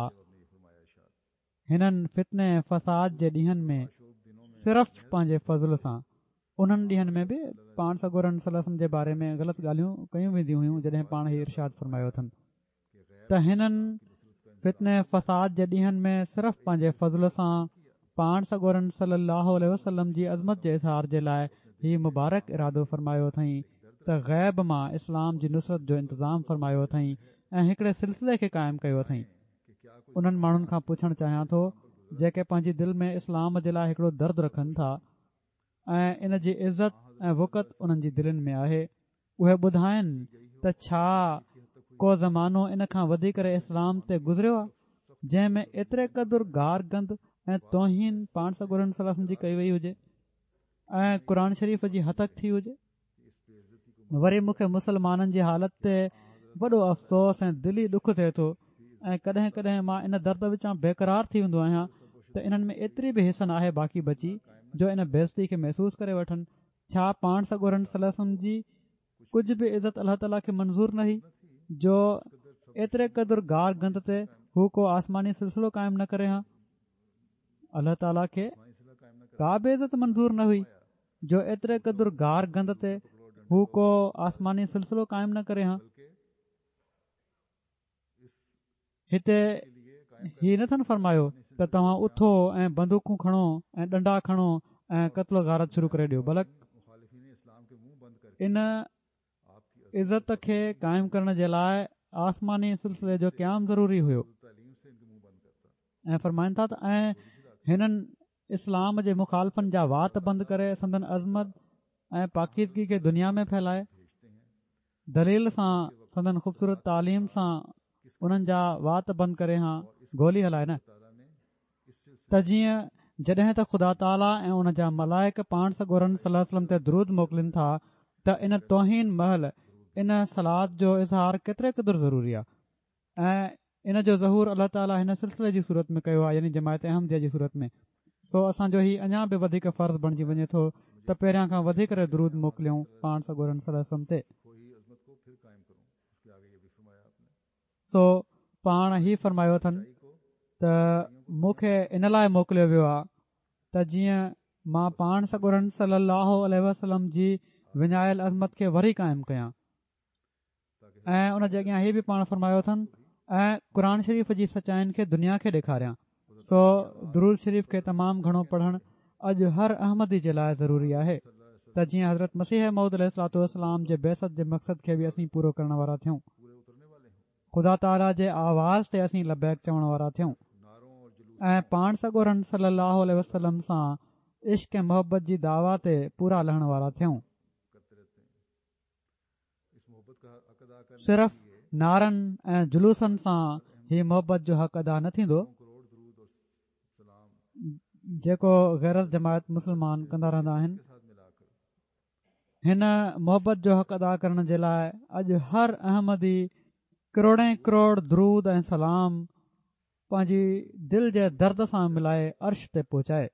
Speaker 3: هنن فتني ۽ فساد جي ڏينهن ۾ صرف پنهنجي فضل سان. انهن ڏينهن ۾ به پاڻ سڳورن صلي الله عليه وسلم جي باري ۾ غلط ڳالهيون ڪيون وينديون هيون جڏهن پاڻ هي ارشاد فرمايو اٿن ته هنن فتني فساد جي ڏينهن ۾ صرف پنهنجي فضل سان پاڻ سڳورن صلي الله عليه وسلم جي عظمت جي اظهار جي لاء هي مبارڪ ارادو فرمايو اٿئين ته غيب مان اسلام جي نصرت جو انتظام فرمايو اٿئين ۽ هڪڙي سلسلي کي قائم ڪيو اٿئين. انهن ماڻهن کان پڇڻ چاهيان ٿو جيڪي پنهنجي دل ۾ اسلام جي لاء هڪڙو درد رکن ٿا ۽ ان جي عزت ۽ وقعت انهن جي دلين ۾ آهي اهي ٻڌائن ته ڇا ڪو زمانو ان کان وڌي ڪري اسلام تي گذريو آهي جنهن ۾ ايتري قدر گار گند ۽ توهين پاڻ سڳورن صلي الله عليه وسلم جي ڪئي وئي هجي ۽ قرآن شريف جي هتڪ ٿي هجي وري مون کي مسلمانن جي حالت تي وڏو افسوس ۽ دلي ڏک ٿئي ٿو ۽ ڪڏهن ڪڏهن مان ان درد وچان بيقرار ٿي ويندو آهيان ته انهن ۾ ايتري به حس ناهي باقي بچي جو ان بيعزتي کي محسوس ڪري وٺن. ڇا پاڻ سڳورن صلي الله عليه وسلم جي ڪجهه به عزت الله تعالي کي منظور نه هئي جو ايتري قدر گار گند تي هو ڪو آسماني سلسلو قائم نه ڪري ها؟ الله تعالي کي ڪا به عزت منظور نه هئي جو ايتري قدر گار گند تي هو ڪو آسماني سلسلو قائم نه ڪري ها. هتي هي نه ٿن فرمايو ته توهان اٿو ۽ بندوقون کڻو ۽ ڏنڊا کڻو ۽ قتل و غارت شروع ڪري ڏيو بلڪ ان عزت کي قائم ڪرڻ جي لاء آسماني سلسلي جو قيام ضروري هيو ۽ فرمائن ٿا ته ۽ هنن اسلام جي مخالفن جا وات بند ڪري سندن عظمت ۽ پاڪيزگي کي دنيا ۾ ڦهلائي دليل سان سندن خوبصورت تعليم سان انهن جا وات بند ڪري هان گولي هلائي نه ته جيئن جڏهن ته خدا تعاليٰ ۽ ان جا ملائڪ پاڻ سڳورن صلي الله عليه وسلم تي درود موڪلين ٿا ته ان توهين مهل ان صلات جو اظهار ڪيتري قدر ضروري آهي ۽ ان جو ظهور الله تعاليٰ هن سلسلي جي صورت ۾ ڪيو آهي يعني جماعت احمديه جي صورت ۾ سو اسان جو هي اڃا به وڌيڪ فرض بڻجي وڃي ٿو ته پهريان کان وڌي ڪري درود موڪليون پاڻ سڳورن صلي الله عليه وسلم تي. سو پاڻ هي فرمايو اٿن ته مون کي ان لاء موڪليو ويو آهي ته جيئن مان پاڻ سڳورن صلي الله عليه وسلم جي وڃايل عظمت کي وري قائم ڪيان ۽ ان جي اڳيان هي به پاڻ فرمايو اٿن ۽ قرآن شريف جي سچائين کي دنيا کي ڏيکاريان سو درود شريف کي تمام گهڻو پڙهڻ اڄ هر احمدي جي لاء ضروري آهي ته جيئن حضرت مسيح موعود عليه الصلوة والسلام جي بعثت جي مقصد کي به اسين پورو ڪرڻ وارا ٿيون خدا تعاليٰ جي آواز تي اسين لبيڪ چوڻ وارا ٿيون ۽ پاڻ سڳورن صلي الله عليه وسلم سان عشق ۽ محبت جي دعويٰ تي پورا لهڻ وارا ٿيون. صرف نعرن ۽ جلوسن سان هي محبت جو حق ادا نه ٿيندو جيڪو غير از جماعت مسلمان ڪندا رهندا آهن هن محبت جو حق ادا ڪرڻ جي لاء اڄ هر احمدي ڪروڙين ڪروڙ درود ۽ سلام پنهنجي دل جي درد سان ملائي عرش تي پهچائي.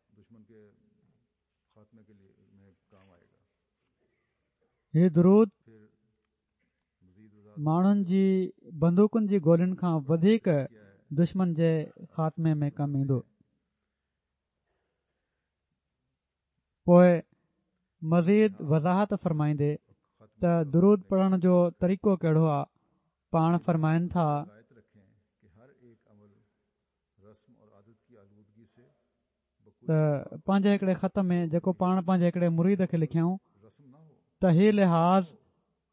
Speaker 3: هي درود ماڻهن جي بندوقن جي گولين کان وڌيڪ دشمن جي خاتمي ۾ ڪم ايندو. پوء مزيد وضاحت فرمائيندي ته درود پڙهڻ جو طريقو ڪهڙو آ پاڻ فرمائن ٿا. ته پنهنجي هڪڙي خط ۾ جيڪو پاڻ پنهنجي هڪڙي مريد کي لکيائون ته هي لحاظ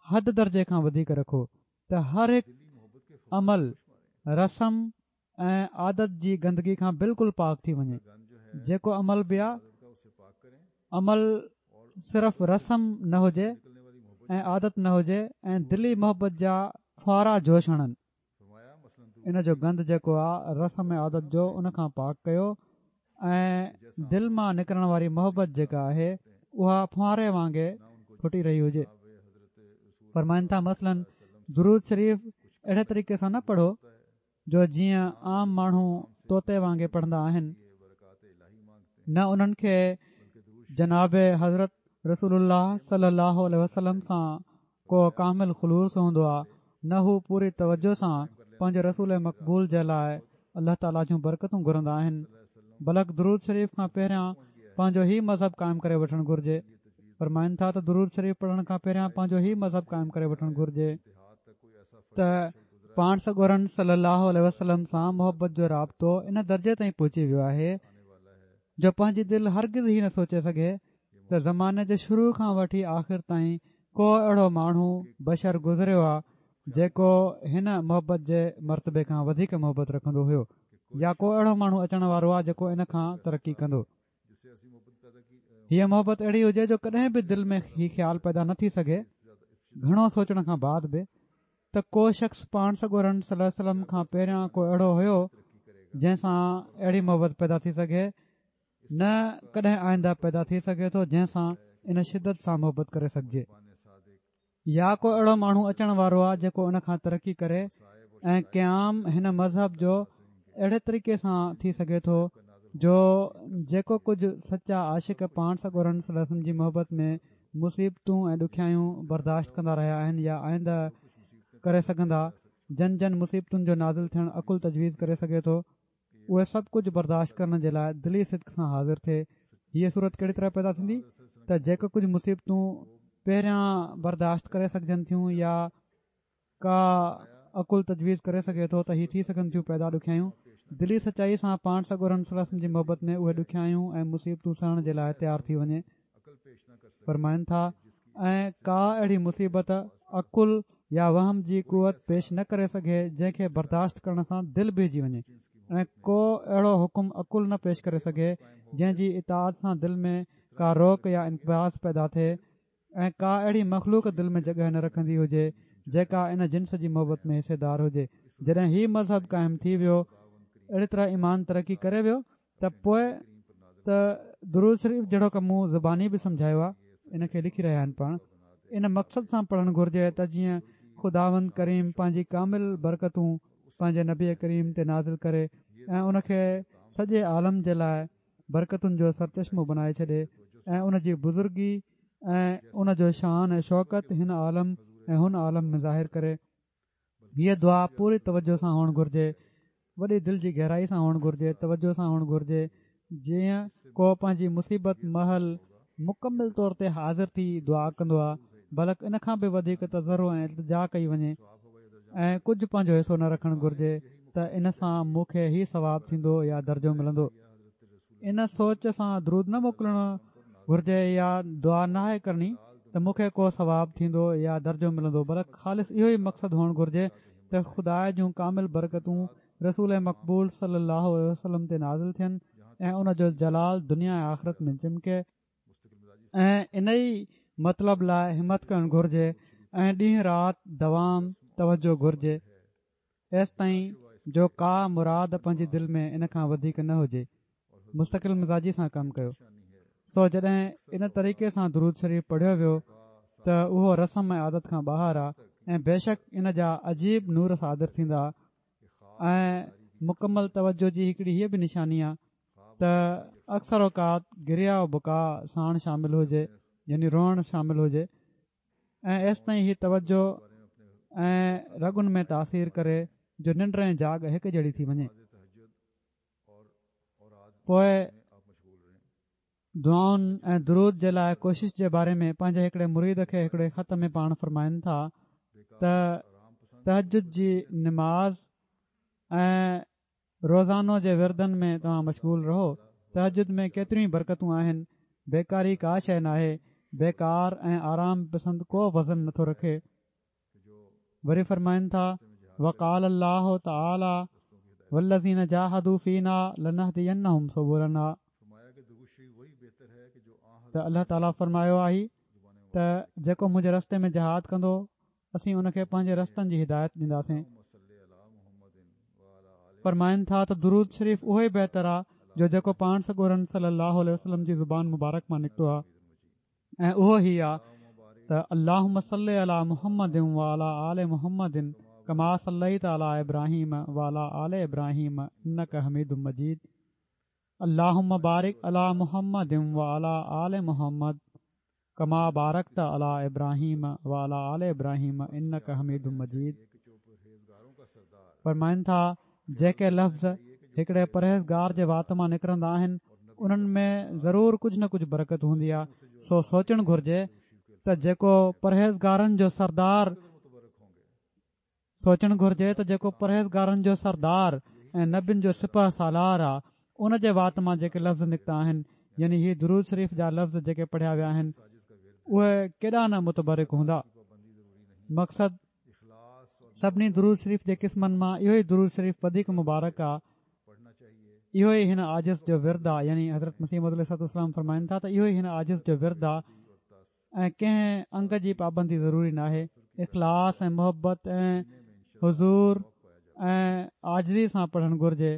Speaker 3: حد درجي کان وڌيڪ رکو ته هر هڪ عمل رسم ۽ عادت جي گندگي کان بلڪل پاڪ ٿي وڃي جيڪو عمل به آ عمل صرف رسم نه هجي ۽ عادت نه هجي ۽ دلي محبت جا ڦوارا جوش هڻن ان جو گند جيڪو آ رسم ۽ عادت جو ان کان پاڪ ڪيو ۽ دل مان نڪرڻ واري محبت جيڪا آهي اها ڦوهاري وانگي ڦٽي رهي هجي. فرمائن ٿا مثلاً درود شريف اهڙي طريقي سان نه پڙهو جو جيئن عام ماڻهو طوطي وانگي پڙهندا آهن نه انهن کي جناب حضرت رسول الله صلي الله عليه وسلم سان ڪو ڪامل خلوص هوندو آ نه هو پوري توجه سان پنهنجي رسول مقبول جي لاء الله تعالي جون برڪتون گهرندا آهن بلڪ درود شريف کان پهريان پنهنجو هي مذهب قائم ڪري وٺڻ گهرجي. فرمائن ٿا ته درود شريف پڙهڻ کان پهريان پنهنجو هي مذهب قائم ڪري وٺڻ گهرجي ته پاڻ سڳورن صلي الله عليه وسلم سان محبت جو رابطو ان درجي تائين پهچي ويو آهي جو پنهنجي دل هرگز هي نه سوچي سگهي ته زماني جي شروع کان وٺي آخر تائين ڪو اهڙو ماڻهو، بشر، گذريو آ جيڪو هن محبت جي مرتبي کان وڌيڪ محبت رکندو هيو يا ڪو اهڙو ماڻهو اچڻ وارو آ جيڪو ان کان ترقي ڪندو. هيء محبت اهڙي هجي جو ڪڏهن به دل ۾ هي خيال پيدا نه ٿي سگهي، گهڻو سوچڻ کان بعد به، ته ڪو شخص پاڻ سڳورن صلي الله عليه وسلم کان پهريان ڪو اهڙو هيو جنهن سان اهڙي محبت پيدا ٿي سگهي نه ڪڏهن آئنده پيدا ٿي سگهي ٿو جنهن سان ان شدت سان محبت ڪري سگهجي. يا ڪو اهڙو ماڻهو اچڻ وارو آهي جيڪو ان کان ترقي ڪري ۽ قيام هن مذهب جو اهڙي طريقي سان ٿي سگهي ٿو جو جيڪو ڪجهه سچا عاشق پاڻ سڳورن صلي الله عليه وسلم جي محبت ۾ مصيبتون ۽ ڏکيائيون برداشت ڪندا رهيا آهن يا آئنده ڪري سگهندا جن جن مصيبتن جو نازل ٿيڻ عقل تجويز ڪري سگهي ٿو اهي سڀ ڪجهه برداشت ڪرڻ جي لاء دلي صدق سان حاضر ٿئي. هيء صورت ڪهڙي طرح پيدا ٿيندي ته جيڪي ڪجهه مصيبتون پهريان برداشت ڪري سگهجن ٿيون يا ڪا عقل تجويز ڪري سگهي ٿو ته هي ٿي سگهن ٿيون پيدا ڏکيائيون دلي سچائي سان پاڻ سڳورن صلي الله عليه وسلم جي محبت ۾ اهي ڏکيائيون ۽ مصيبتون سهڻ جي لاء تيار ٿي وڃي. فرمائن ٿا، ۽ ڪا اهڙي مصيبت عقل يا وهم جي قوت پيش نه ڪري سگهي جنهن کي برداشت ڪرڻ سان دل بيهجي وڃي ۽ ڪو اهڙو حڪم عقل نه پيش ڪري سگهي جنهن جي اطاعت سان دل ۾ ڪا روڪ يا انقباض پيدا ٿئي ۽ ڪا اهڙي مخلوق دل ۾ جڳهه نه رکندي هجي جيڪا ان جنس جي محبت ۾ حصيدار هجي جڏهن هي مذهب قائم ٿي ويو اهڙي طرح ايمان ترقي ڪري ويو ته پوء ته درود شريف جهڙوڪ مون زباني به سمجهايو آهي ان کي لکي رهيا آهن پاڻ ان مقصد سان پڙهڻ گهرجي ته جيئن خداوند ڪريم پنهنجي ڪامل برڪتون پنهنجي نبي ڪريم تي نازل ڪري ۽ ان کي سڄي عالم جي لاء برڪتن جو سرچشمو بنائي ڇڏي ۽ ان جي بزرگي ۽ ان جو شان ۽ شوڪت هن عالم ۽ هن عالم ۾ ظاهر ڪري. هيء دعا پوري توجه سان هئڻ گهرجي، وڏي دل جي گهرائي سان هئڻ گهرجي، توجه سان هئڻ گهرجي، جيئن ڪو پنهنجي مصيبت مهل مڪمل طور تي حاضر ٿي دعا ڪندو آهي، بلڪ ان کان به وڌيڪ تضرع ۽ التجا ڪئي وڃي ۽ ڪجهه پنهنجو حصو نه رکڻ گهرجي ته ان سان مون کي هي ثواب ٿيندو يا درجو ملندو. ان سوچ سان درود نه موڪلڻ گهرجي يا دعا ناهي ڪرڻي ته مون کي ڪو ثواب ٿيندو يا درجو ملندو بلڪ خالص اهو ئي مقصد هئڻ گهرجي ته خدا جون ڪامل برڪتون رسول مقبول صلي الله عليه وسلم تي نازل ٿين ۽ ان جو جلال دنيا ۽ آخرت ۾ چمڪي ۽ ان ئي مطلب لاء همت ڪرڻ گهرجي ۽ ڏينهن رات دوام توجه گهرجي. ايستائين جو ڪا مراد پنهنجي دل ۾ ان کان وڌيڪ نه هجي مستقل مزاجي سان ڪم ڪيو سو جڏهن ان طريقي سان درود شريف پڙهيو ويو ته اهو رسم ۽ عادت کان ٻاهر آ ۽ بيشڪ ان جا عجيب نور صادر ٿيندا ۽ مڪمل توجه جي هڪڙي هيء به نشاني آ ته اڪثر اوقات گريه و بڪا ساڻ شامل هجي يعني روئڻ شامل هجي ۽ ايستائين هي توجه ۽ رڳن ۾ تاثير ڪري جو ننڊ ۽ جاڳ هڪ جهڙي ٿي وڃي. پوء دعائن ۽ درود جي لاء ڪوشش جي باري ۾ پنهنجي هڪڙي مريد کي هڪڙي خط ۾ پاڻ فرمائن ٿا ته تهجد جي نماز ۽ روزانو جي وردن ۾ توهان مشغول رهو، تهجد ۾ ڪيتريون ئي برڪتون آهن، بيڪاري ڪا شيء ناهي، بيڪار ۽ آرام پسند ڪو وزن نٿو رکي. وري فرمائن ٿا، وقال الله تعالي والذين جاهدوا فينا لنهدينهم سبلنا ته الله تعالي فرمايو آهي ته جيڪو منهنجي رستي ۾ جهاد ڪندو اسين ان کي پنهنجي رستن جي هدايت ڏينداسين. فرمائن ٿا ته درود شريف اهو ئي بهتر آ جو جيڪو پاڻ سڳورن صلي الله عليه وسلم جي زبان مبارڪ مان نڪتو آ ۽ اهو هي آ ته اللهم صل علي محمد وعلي آل محمد ڪما صليت علي ابراهيم وعلي آل ابراهيم انڪ حميد مجيد اللهم بارڪ علي محمد وعلي آل محمد ڪما بارڪت علي ابراهيم وعلي آل ابراهيم انڪ حميد مجيد فرمائن ٿا جيڪي لفظ هڪڙي پرهيزگار جي وات مان نڪرندا آهن انهن ۾ ضرور ڪجهه نه ڪجهه برڪت هوندي آهي سو سوچڻ گهرجي ته جيڪو پرهيزگارن جو سردار سوچڻ گهرجي ته جيڪو پرهيزگارن جو سردار ۽ نبين جو سپهه سالار آ ان جي وات مان جيڪي لفظ نڪتا آهن يعني هي درود شريف جا لفظ جيڪي پڙهيا ويا آهن اهي ڪيڏا نه متبرڪ هوندا. مقصد سڀني درود شريف جي قسمن مان اهو ئي درود شريف وڌيڪ مبارڪ آ اهو ئي هن عاجز جو ورد آ يعني حضرت مسيح موعود عليه الصلوة والسلام فرمائن ٿا ته اهو ئي هن عاجز جو ورد آ ۽ ڪنهن انگ جي پابندي ضروري ناهي اخلاص ۽ محبت ۽ حضور ۽ عاجزي سان پڙهڻ گهرجي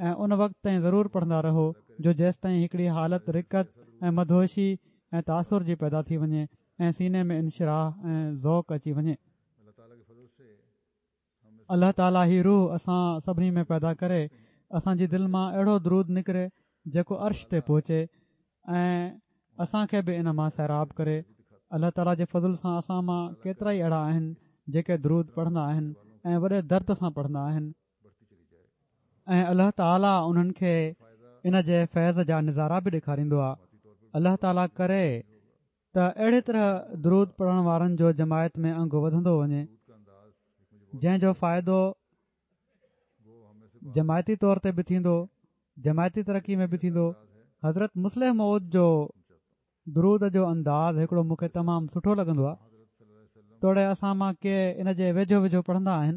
Speaker 3: ۽ ان وقت تائين ضرور پڙهندا رهو جو جيستائين هڪڙي حالت رقت ۽ مدهوشي ۽ تاثر جي پيدا ٿي وڃي ۽ سيني ۾ انشراح ۽ ذوق اچي وڃي. الله تعالي هي روح اسان سڀني ۾ پيدا ڪري اسان جي دل مان اهڙو درود نڪري جيڪو عرش تي پهچي ۽ اسان کي به ان مان سيراب ڪري الله تعالي جي فضل سان اسان مان ڪيترا ئي اهڙا آهن جيڪي درود پڙهندا آهن ۽ وڏي درد سان پڙهندا آهن ۽ الله تعالي انهن کي ان جي فيض جا نظارا به ڏيکاريندو آهي الله تعالي ڪري ته اهڙي طرح درود پڙهڻ وارن جو جماعت ۾ انگ وڌندو وڃي جنهن جو فائدو جماعتي طور تي به ٿيندو جماعتي ترقي ۾ به ٿيندو حضرت مصلح موعود جو درود جو انداز هڪڙو مون کي تمام سٺو لڳندو آهي توڙي اسان مان ڪي ان جي ويجهو ويجهو پڙهندا آهن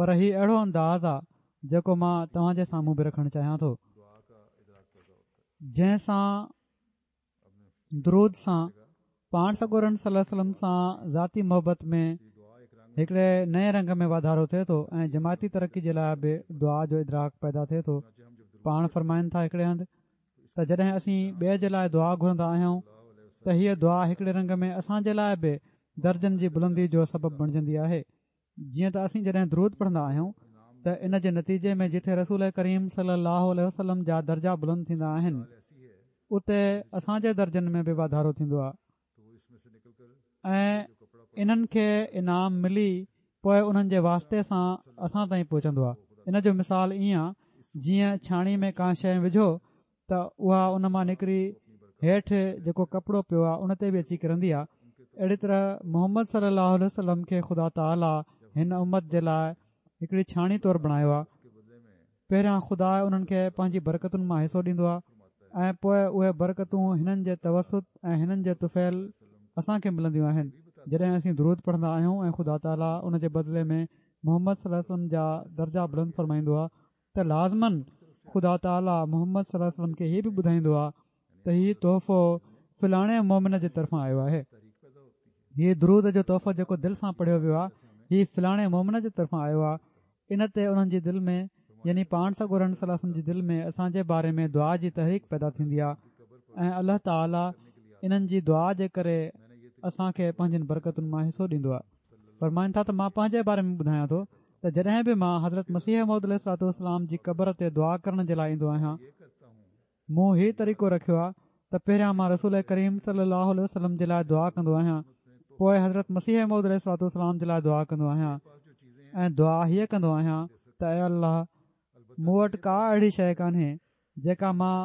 Speaker 3: پر هي اهڙو انداز آهي جيڪو مان توهان جي سامهون به رکڻ چاهيان ٿو جنهن سان درود سان پاڻ سڳورن صلي الله عليه وسلم سان ذاتي محبت ۾ هڪڙي نئين رنگ ۾ واڌارو ٿئي ٿو ۽ جماعتي ترقي جي لاء به دعا جو ادراڪ پيدا ٿئي ٿو پاڻ فرمائن ٿا هڪڙي هنڌ ته جڏهن اسين ٻئي جي لاء دعا گهرندا آهيون ته هيء دعا هڪڙي رنگ ۾ اسان جي لاء به درجن جي بلندي جو سبب بڻجندي آهي جيئن ته اسين جڏهن درود پڙهندا آهيون ته ان جي نتيجي ۾ جٿي رسول ڪريم صلي الله عليه وسلم جا درجا بلند ٿيندا آهن اتي اسان جي درجن ۾ به واڌارو ٿيندو آهي ۽ انهن کي انعام ملي پوء انهن جي واسطي سان اسان تائين پهچندو آهي ان جو مثال ائين آهي جيئن ڇاڻي ۾ ڪا شيء وجهو ته اها ان مان نڪري هيٺ جيڪو ڪپڙو پيو آهي ان تي به اچي ڪرندي آهي اهڙي طرح محمد صلي الله عليه وسلم کي خدا تعالي هن امت جي لاء هڪڙي ڇاڻي طور بڻايو آهي پهريان خدا انهن کي پنهنجي برڪتن مان حصو ڏيندو آهي ۽ پوء اهي برڪتون هنن جي توسط ۽ هنن جي طفيل اسان کي ملنديون آهن جڏهن اسين درود پڙهندا آهيون ۽ خدا تعالي ان جي بدلي ۾ محمد صلي الله عليه وسلم جا درجا بلند فرمائيندو آهي ته لازماً خدا تعاليٰ محمد صلي الله عليه وسلم کي هي به ٻڌائيندو آهي ته هي تحفو فلاڻي مؤمن جي طرفان آيو آهي. هي درود جو تحفو جيڪو دل سان پڙهيو ويو آهي هي فلاڻي مؤمن جي طرفان آيو آهي. ان تي انهن جي دل ۾ يعني پاڻ سڳورن صلي الله عليه وسلم جي دل ۾ اسان جي باري ۾ دعا جي تحريڪ پيدا ٿيندي آهي ۽ الله تعاليٰ انهن جي دعا جي ڪري اسان کي پنهنجين برڪتن مان حصو ڏيندو آهي. فرمائن ٿا ته مان پنهنجي باري ۾ ٻڌايان ٿو ته جڏهن به مان حضرت مسيح موعود عليه الصلوة والسلام جي قبر تي دعا ڪرڻ جي لاء ايندو آهيان مون هي طريقو رکيو آهي ته پهريان مان رسول ڪريم صلي الله عليه وسلم جي لاء دعا ڪندو آهيان پوء حضرت مسيح موعود عليه الصلوة والسلام جي لاء دعا ڪندو آهيان ۽ دعا هيء ڪندو آهيان ته اي الله مون وٽ ڪا اهڙي شيء ڪانهي جيڪا مان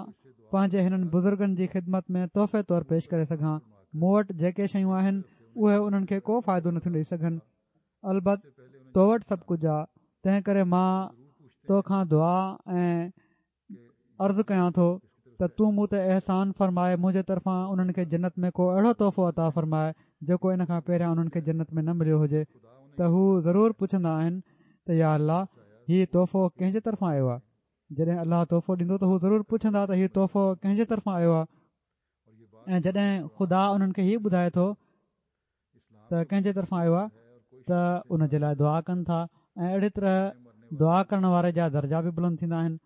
Speaker 3: پنهنجي هنن بزرگن جي خدمت ۾ تحفي طور پيش ڪري سگهان مون وٽ جيڪي شيون آهن اهي انهن کي ڪو فائدو نٿيون ڏئي سگهن البت تو وٽ سڀ ڪجهه آ تنهن ڪري مان تو کان دعا ۽ عرض ڪيان ٿو ته تون مون تي احسان فرمائي منهنجي طرفان انهن کي جنت ۾ ڪو اهڙو تحفو عطا فرماء جيڪو ان کان پهريان انهن کي جنت ۾ نه مليو هجي ته هو ضرور پڇندا آهن ته يا الله هي تحفو ڪنهن جي طرفان آيو آ جڏهن الله تحفو ڏيندو ته هو ضرور پڇندا ته هي تحفو ڪنهن جي طرفان آيو آ ۽ جڏهن خدا انهن کي هي ٻڌائي ٿو ته ڪنهن جي طرفان آيو آهي ته ان جي لاء دعا ڪن ٿا ۽ اهڙي طرح دعا ڪرڻ واري جا درجا به بلند ٿيندا آهن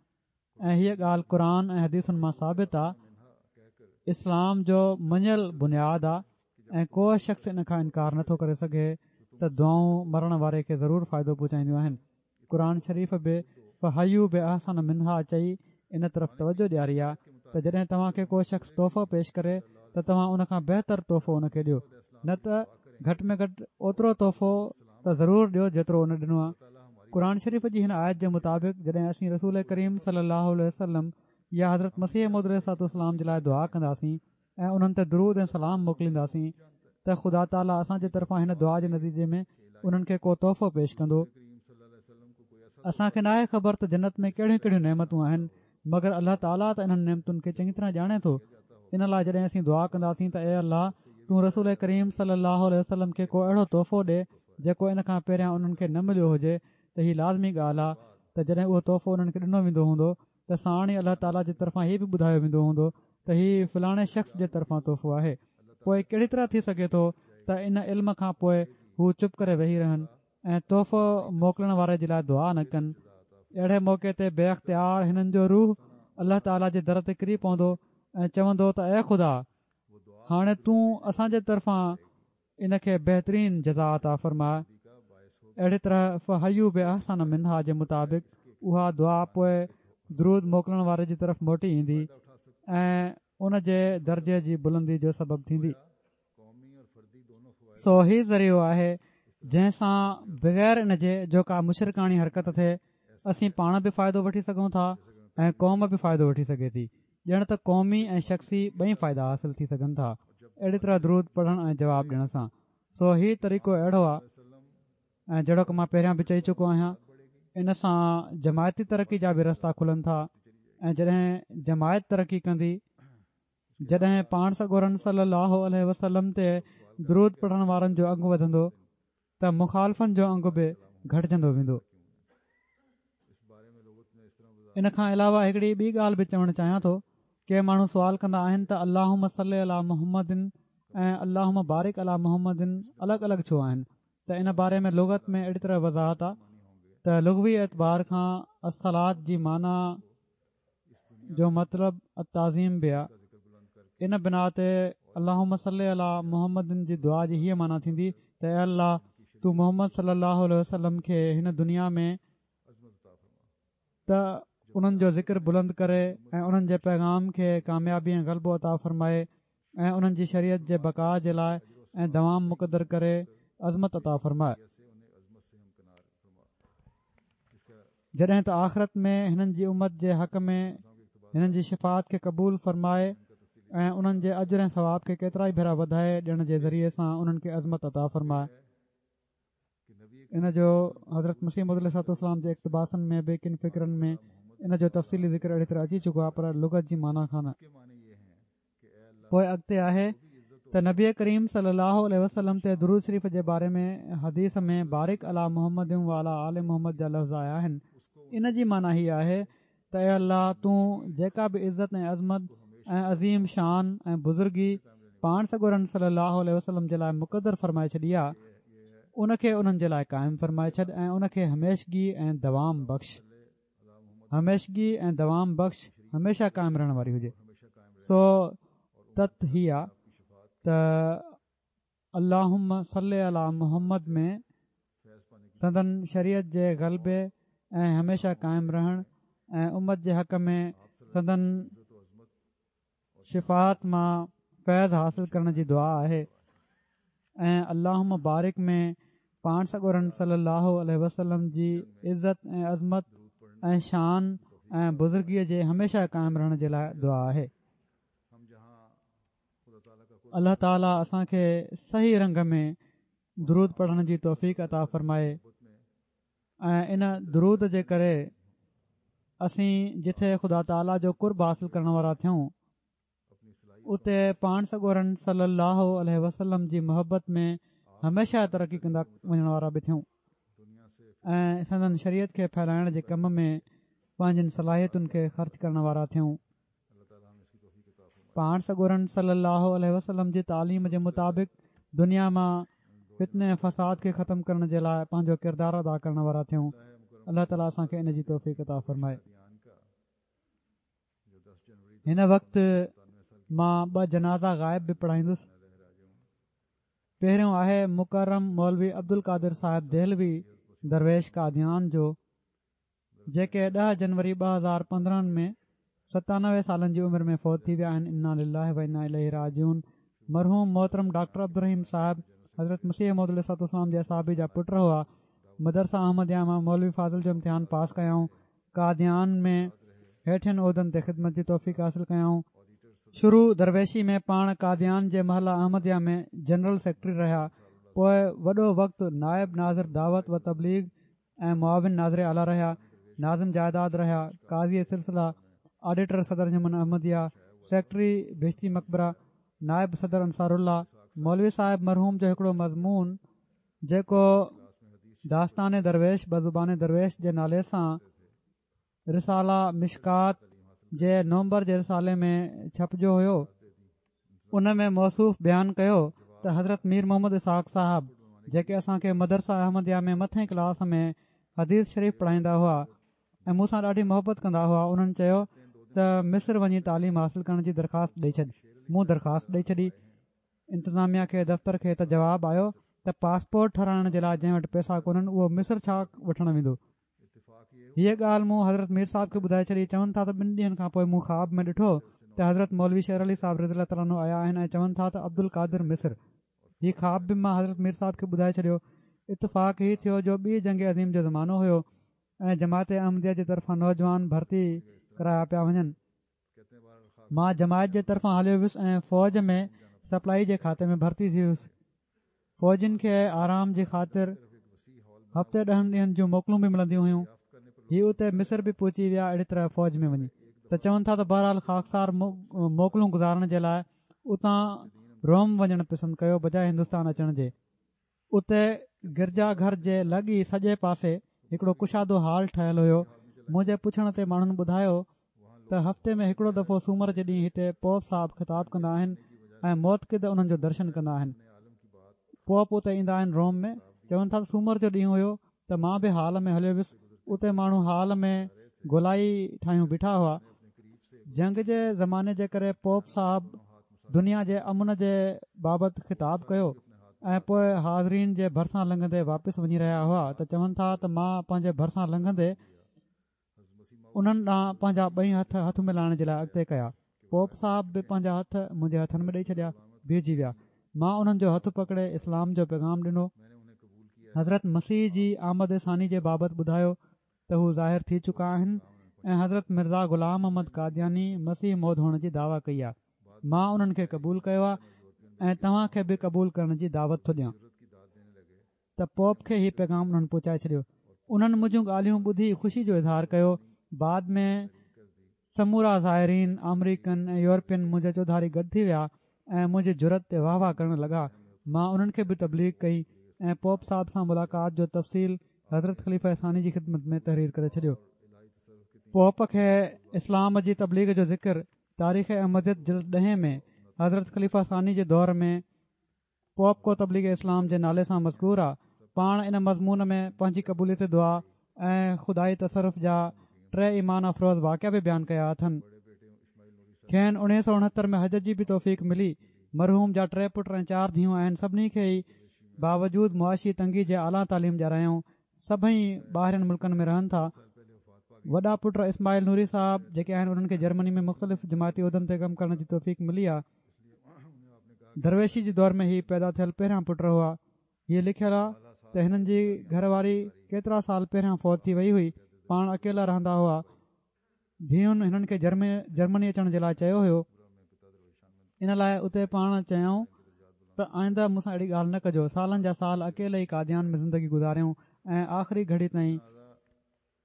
Speaker 3: ۽ هيء ڳالهه قرآن ۽ حديثن مان ثابت آهي اسلام جو مڃيل بنياد آهي ۽ ڪو شخص ان کان انڪار نٿو ڪري سگهي ته دعائون مرڻ واري کي ضرور فائدو پهچائينديون آهن قرآن شريف به فحيوا باحسن منها چئي ان طرف توجه ڏياري آ ته جڏهن توهان کي ڪو شخص تحفو پيش ڪري ته توهان ان کان بهتر تحفو ان کي ڏيو نه ته گهٽ ۾ گهٽ اوترو تحفو ته ضرور ڏيو جيترو ان ڏنو آ. قرآن شريف جي هن آيت جي مطابق جڏهن اسين رسول ڪريم صلي الله عليه وسلم. يا حضرت مسيح موعود عليه الصلوة والسلام جي لاء دعا ڪنداسين ۽ انهن تي درود ۽ سلام موڪلينداسين ته خدا تعاليٰ اسان جي طرفان هن دعا جي نتيجي ۾ انهن کي ڪو تحفو پيش ڪندو. اسان کي ناهي خبر ته جنت ۾ ڪهڙيون ڪهڙيون نعمتون آهن مگر الله تعاليٰ ته انهن نعمتن کي چڱي طرح ڄاڻي ٿو ان لاء جڏهن اسين دعا ڪنداسين ته اي الله تون رسول ڪريم صلي الله عليه وسلم کي ڪو اهڙو تحفو ڏي جيڪو ان کان پهريان انهن کي نه مليو هجي ته هي لازمي ڳالهه آهي ته جڏهن اهو تحفو انهن کي ڏنو ويندو هوندو ته ساڻ ئي الله تعاليٰ جي طرفان هي به ٻڌايو ويندو هوندو ته هي فلاڻي شخص جي طرفان تحفو آهي پوء ڪهڙي طرح ٿي سگهي ٿو ته ان علم کان پوء هو چپ ڪري ويهي رهن ۽ تحفو موڪلڻ واري جي لاء دعا نه ڪن. اهڙي موقعي تي بي اختيار هنن جو روح الله تعاليٰ جي در تي ڪري پوندو ۽ چوندو ته اي خدا! هاڻي تون اسان جي طرفان ان کي بهترين جزا عطا فرماء. اهڙي طرح فحيوا باحسن منها جي مطابق اها دعا پوء درود موڪلڻ واري جي طرف موٽي ايندي ۽ ان جي درجي جي بلندي جو سبب ٿيندي. سو هي ذريعو آهي جنهن سان بغير ان جي جو ڪا مشرڪاڻي حرڪت ٿئي اسين پاڻ به فائدو وٺي سگهون ٿا ۽ قوم به فائدو وٺي سگهي ٿي ڄڻ ته قومي ۽ شخصي ٻئي فائدا حاصل ٿي سگهن ٿا اهڙي طرح درود پڙهڻ ۽ جواب ڏيڻ سان سو هي طريقو اهڙو آهي ۽ جهڙوڪ مان پهريان به چئي چڪو آهيان ان سان جماعتي ترقي جا به رستا کلن ٿا ۽ جڏهن جماعت ترقي ڪندي جڏهن پاڻ سڳورن صلّي اللّٰه عليه وسلّم تي درود پڙهڻ وارن جو انگ وڌندو ته مخالفن جو انگ به گهٽجندو ويندو. ان کان علاوه هڪڙي ٻي ڳالهه به چوڻ چاهيان ٿو، ڪي ماڻهو سوال ڪندا آهن ته اللّٰهم صلّ عليٰ محمّد ۽ اللّٰهم بارڪ عليٰ محمّد الڳ الڳ ڇو آهن ته ان باري ۾ لغت ۾ اهڙي طرح وضاحت آهي ته لغوي اعتبار کان الصّلوة جي معنيٰ جو مطلب التعظيم به آ ان بنا تي اللهم صل علي محمد جي دعا جي هيء معنيٰ ٿيندي ته اي الله تون محمد صلي الله عليه وسلم کي هن دنيا ۾ ته انهن جو ذڪر بلند ڪري ۽ انهن جي پيغام کي ڪاميابي ۽ غلبو عطا فرمائي ۽ انهن جي شريعت جي بقاء جي لاء ۽ دوام مقدر ڪري عظمت عطا فرمائي. جڏهن ته آخرت ۾ هنن جي امت جي حق ۾ هنن جي شفاعت کي قبول فرمائي ۽ انهن جي اجر ۽ ثواب کي ڪيترائي ڀيرا وڌائي ڏيڻ جي ذريعي سان انهن کي عظمت عطا فرمائي. ان جو حضرت مسيح موعود عليه الصلوة والسلام جي اقتباسن ۾ به ڪن فقرن ۾ ان جو تفصيلي ذڪر اهڙي طرح اچي چڪو آهي پر لغت جي معنيٰ کان نه. پوء اڳتي آهي ته نبي ڪريم صلي الله عليه وسلم تي درود شريف جي باري ۾ حديث ۾ بارڪ علي محمد وعلي آل محمد جا لفظ آيا آهن ان جي معنيٰ هي آهي ته اي الله تون جيڪا به عزت ۽ عظمت ۽ عظيم شان ۽ بزرگي پاڻ سڳورن صلي الله عليه وسلم جي لاء مقدر فرمائي ڇڏي آهي ان کي انهن جي لاء قائم فرمائي ڇڏ ۽ ان کي هميشگي ۽ دوام بخش هميشگي ۽ دوام بخش هميشه قائم رهڻ واري هجي سو تت هي آ ته اللهم صل علي محمد ۾ سندن شريعت جي غلبي ۽ هميشه قائم رهڻ ۽ امت جي حق ۾ سندن شفاعت مان فيض حاصل ڪرڻ جي دعا آهي ۽ اللهم بارڪ ۾ پاڻ سڳورن صلي الله عليه وسلم جي عزت ۽ عظمت ۽ شان ۽ بزرگيء جي هميشه قائم رهڻ جي لاء دعا آهي. الله تعالي اسان کي صحيح رنگ ۾ درود پڙهڻ جي توفيق عطا فرمائي. ۽ ان درود جي ڪري اسين جٿي خدا تعاليٰ جو قرب حاصل ڪرڻ وارا ٿيون اتي پاڻ سڳورن صلي الله عليه وسلم جي محبت ۾ هميشه ترقي ڪندا وڃڻ وارا به ٿيون ۽ سندن شريعت کي ڦهلائڻ جي ڪم ۾ پنهنجين صلاحيتن کي خرچ ڪرڻ وارا ٿيون پاڻ سڳورن صلّي اللّٰه عليه وسلّم جي تعليم جي مطابق دنيا مان فتني ۽ فساد کي ختم ڪرڻ جي لاء پنهنجو ڪردار ادا ڪرڻ وارا ٿيون الله تعاليٰ اسان کي ان جي توفيق عطا فرمائي. هن وقت مان ٻه جنازا غائب به پڙهائيندس. پهريون آهي مڪرم مولوي عبدالقادر صاحب دهلوي درويش قاديان جو. جيڪي ڏهه جنوري 2015 ۾ 97 سالن جي عمر ۾ فوت ٿي ويا آهن انا لله و انا اليه راجعون مرحوم محترم ڊاڪٽر عبدالرحيم صاحب حضرت مسيح موعود عليه الصلوة والسلام جي اصحابي جا پٽ هئا مدرسه احمديه مان مولوي فاضل جو امتحان پاس ڪيائون قاديان ۾ هيٺين عهدن تي خدمت جي توفيق حاصل ڪيائون. شروع درويشي ۾ پاڻ قاديان جي محله احمديه ۾ جنرل سيڪريٽري رهيا، پوء وڏو وقت نائب ناظر دعوت و تبليغ ۽ معاون ناظر اعليٰ رهيا، ناظم جائداد رهيا، قاضي سلسله، آڊيٽر صدر انجمن احمديه، سيڪريٽري بهشتي مقبره، نائب صدر انصار الله، مولوي صاحب مرحوم جو هڪڙو مضمون جيڪو داستان درويش بزبان درويش جي نالي سان رساله مشڪات جي نومبر جي رسالي ۾ ڇپجيو هيو ان ۾ موصوف بيان ڪيو ته حضرت مير محمد اسحاق صاحب جيڪي اسان کي مدرسه احمديه ۾ مٿين ڪلاس ۾ حديث شريف پڙهائيندا هئا ۽ مون سان ڏاڍي محبت ڪندا هئا انهن چيو ته مصر وڃي تعليم حاصل ڪرڻ جي درخواست ڏئي ڇڏ مون درخواست ڏئي ڇڏي انتظاميا کي دفتر کي ته جواب آيو ته پاسپورٽ ٺهرائڻ جي لاء جنهن وٽ پئسا ڪونهن اهو مصر ڇا وٺڻ ويندو هيء ڳالهه مون حضرت مير صاحب کي ٻڌائي ڇڏي. چون ٿا ته ٻن ڏينهن کان پوء مون خواب ۾ ڏٺو ته حضرت مولوي شير علي صاحب رضي الله تعالٰي عنه آيا آهن ۽ چون ٿا ته عبدالقادر مصر. هي خواب به مان حضرت مير صاحب کي ٻڌائي ڇڏيو. اتفاق هي ٿيو جو ٻي جنگ عظيم جو زمانو هيو ۽ جماعت احمديه جي طرفان نوجوان ڀرتي ڪرايا پيا وڃن. مان جماعت جي طرفان هليو ويس ۽ فوج ۾ سپلائي جي کاتي ۾ ڀرتي ٿي ويس. فوجين کي آرام جي خاطر هفتي ڏهن ڏينهن جون موڪلون به ملنديون هيون. هي اتي مصر به پهچي ويا اهڙي طرح فوج ۾ وڃي ته چون ٿا ته بهرحال خاڪسار موڪلون گذارڻ جي لاء اتان روم وڃڻ پسند ڪيو بجاء هندستان اچڻ جي. اتي گرجا گهر جي لڳ ئي سڄي پاسي هڪڙو ڪشادو هال ٺهيل هيو. منهنجي پڇڻ تي ماڻهن ٻڌايو ته هفتي ۾ هڪڙو دفعو سومر جي ڏينهن هتي پوپ صاحب خطاب ڪندا آهن ۽ معتقد انهن جو درشن ڪندا آهن. پوپ اتي ايندا آهن روم ۾. چون ٿا ته سومر جو ڏينهن هيو ته مان به هال ۾ هليو ويس اتي ماڻهو هال ۾ گولائي ٺاهيون بيٺا هئا جنگ جي زماني جي ڪري پوپ صاحب دنيا جي امن جي بابت خطاب ڪيو ۽ پوء حاضرين جي ڀرسان لنگهندي واپس وڃي رهيا هئا ته چون ٿا ته مان پنهنجي ڀرسان لنگهندي انهن ڏانهن پنهنجا ٻئي هٿ هٿ ملائڻ جي لاء اڳتي ڪيا. پوپ صاحب به پنهنجا هٿ منهنجي هٿن ۾ ڏئي ڇڏيا. بيهجي ويا. مان انهن جو هٿ پڪڙي اسلام جو پيغام ڏنو. حضرت مسيح جي آمد ثاني جي بابت ٻڌايو ته هو ظاهر ٿي چڪا آهن ۽ حضرت مرزا غلام احمد قادياني مسيح موعود هئڻ جي دعويٰ ڪئي آهي. مان انهن کي قبول ڪيو آهي ۽ توهان کي به قبول ڪرڻ جي دعوت ٿو ڏيان. ته پوپ کي هي پيغام انهن پهچائي ڇڏيو. انهن منهنجون ڳالهيون ٻڌي خوشي جو اظهار ڪيو. بعد ۾ سمورا زائرين آمريڪن ۽ يورپين منهنجي چوڌاري گڏ ٿي ويا ۽ منهنجي جرئت تي واهه واهه ڪرڻ لڳا. مان انهن کي به تبليغ ڪئي ۽ پوپ صاحب سان ملاقات جو تفصيل حضرت خليفه ثاني جي خدمت ۾ تحرير ڪري ڇڏيو. پوپ کي اسلام جي تبليغ جو ذڪر تاريخ احمديت جلد ڏهين ۾ حضرت خليفه ثاني جي دور ۾ پوپ ڪو تبليغ اسلام جي نالي سان مذڪور آ. پاڻ ان مضمون ۾ پنهنجي قبوليت دعا ۽ خدائي تصرف جا ٽي ايمان افروز واقعا به بيان ڪيا اٿن. کين اوڻيهه سو اڻهتر ۾ حج جي به توفيق ملي. مرحوم جا ٽي پٽ ۽ چار ڌيئون آهن سڀني کي ئي باوجود معاشي تنگي جي اعليٰ تعليم ڏياريائون. سڀئي ٻاهرين ملڪن ۾ رهن ٿا. وڏا پٽ اسماعيل نوري صاحب جيڪي آهن انهن کي جرمني ۾ مختلف جماعتي عهدن تي ڪم ڪرڻ جي توفيق ملي آ. درويشي جي دور ۾ هي پيدا ٿيل پهريان پٽ هئا. هيء لکيل آ ته هنن جي گهر واري ڪيترا سال پهريان فوت ٿي وئي هئي. پاڻ اڪيلا رهندا هئا. ڌيئن هنن کي جرمني اچڻ جي لاء چيو هيو. ان لاء اتي پاڻ چيائون ته آئنده مون سان اهڙي ڳالهه نه ڪجو. سالن جا سال اڪيلي ئي قاديان ۾ زندگي گذاريائون ۽ آخري گهڙي تائين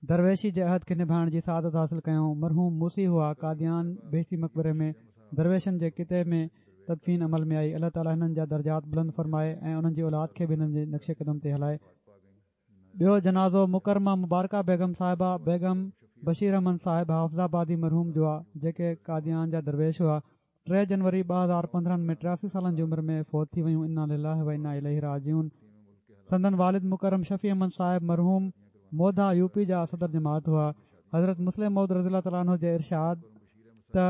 Speaker 3: درويشي جي عهد کي نڀائڻ جي سعادت حاصل ڪيائون. مرحوم موصي هئا. قاديان بهشتي مقبري ۾ درويشن جي قطعي ۾ تدفين عمل ۾ آئي. الله تعالي هنن جا درجات بلند فرمائي ۽ انهن جي اولاد کي به هنن جي نقش قدم تي هلائي. ٻيو جنازو مڪرمه مبارڪه بيگم صاحبه بيگم بشير احمد صاحب حافظ آبادي مرحوم جو آ جيڪي قاديان جا درويش هئا. ٽي جنوري 2015 ۾ 83 سالن جي عمر ۾ فوت ٿي ويون انا لله و انا اليه راجعون سندن والد مڪرم شفيع احمد صاحب مرحوم موڌا يو پي جا صدر جماعت هئا حضرت مصلح موعود رضي الله تعالٰي عنه جي ارشاد ته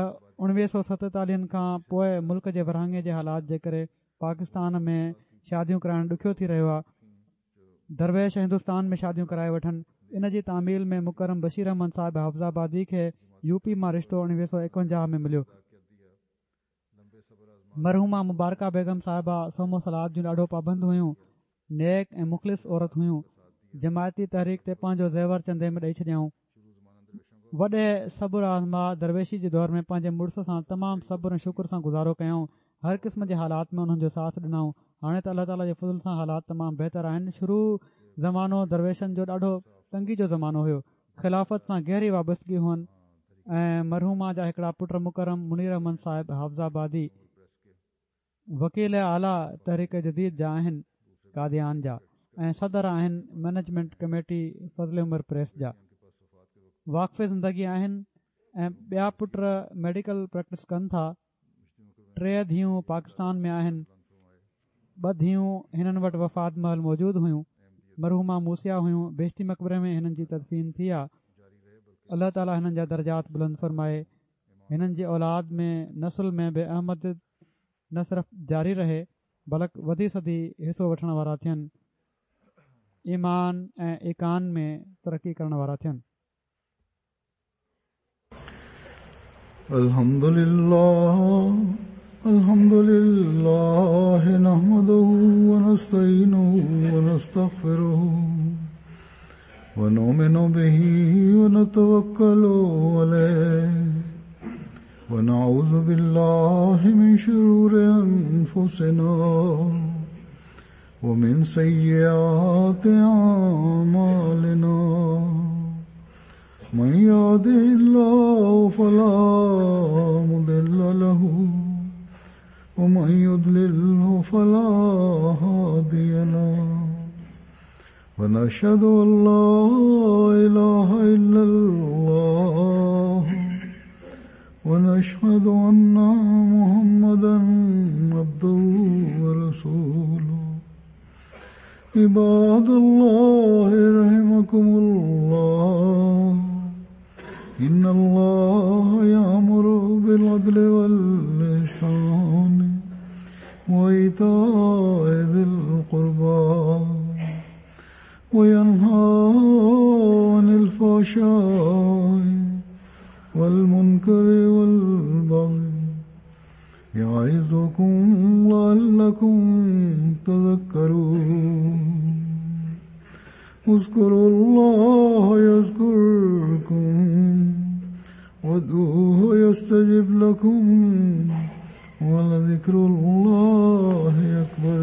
Speaker 3: 1947 کان پوء ملڪ جي ورهاڱي جي حالات جي ڪري پاڪستان ۾ شاديون ڪرائڻ ڏکيو ٿي رهيو آهي درويش هندستان ۾ شاديون ڪرائي وٺن. ان جي تعميل ۾ مڪرم بشير احمد صاحب حافظ آبادي کي يو پي مان رشتو 1951 ۾ مليو. مرحومه مبارڪه بيگم صاحبه صوم و صلوة جون ڏاڍو پابند هيون. نيڪ ۽ مخلص عورت هيون. جماعتي تحريڪ تي پنهنجو زيور چندي ۾ ڏئي ڇڏيائون. وڏي صبر آزما درويشي جي دور ۾ پنهنجي مڙس سان تمام صبر ۽ شڪر سان گذارو ڪيائون. هر قسم جي حالات ۾ انهن جو ساٿ ڏنائون. هاڻي ته الله تعاليٰ جي فضل سان حالات تمام بهتر آهن. شروع زمانو درويشن جو ڏاڍو تنگي جو زمانو هيو. خلافت سان گهري وابستگي هئن ۽ مرحومه جا هڪڙا پٽ مڪرم منير احمد صاحب حافظ آبادي وڪيل اعليٰ تحريڪ جديد جا آهن قاديان جا ۽ صدر آهن مئنيجمينٽ ڪميٽي فضل عمر پريس جا واقف زندگي آهن ۽ ٻيا پٽ ميڊيڪل پريڪٽس ڪن ٿا ٽي ڌيئون پاڪستان ۾ آهن ٻه ڌيئون هنن وٽ وفات مهل موجود هيون مرحومه موصيه هيون بهشتي مقبري ۾ هنن جي تدفين ٿي آ الله تعالي هنن جا درجات بلند فرمائي هنن جي اولاد ۾ نسل ۾ به احمديت نه صرف جاري رهي بلڪ وڌي سڌي حصو وٺڻ وارا ٿين، ايمان ۽ ايقان ۾ ترقي ڪرڻ وارا ٿين.
Speaker 1: الحمد لله الحمد لله نحمده ونستعينه ونستغفره ونؤمن به ونتوكل عليه ونعوذ بالله من شرور أنفسنا ومن سيئات أعمالنا من يهده الله فلا مضل له ومن يضلله فلا هادي له ونشهد أن لا إله إلا الله ونشهد أن محمدا عبده ورسوله عباد الله رحمكم الله إن الله يأمر بالعدل والإحسان وإيتاء ذي القربى وينهى عن الفحشاء والمنكر والبغي يعظكم لعلكم تذكرون اذكروا الله يذكركم وادعوه يستجب لكم ولذكر الله أكبر.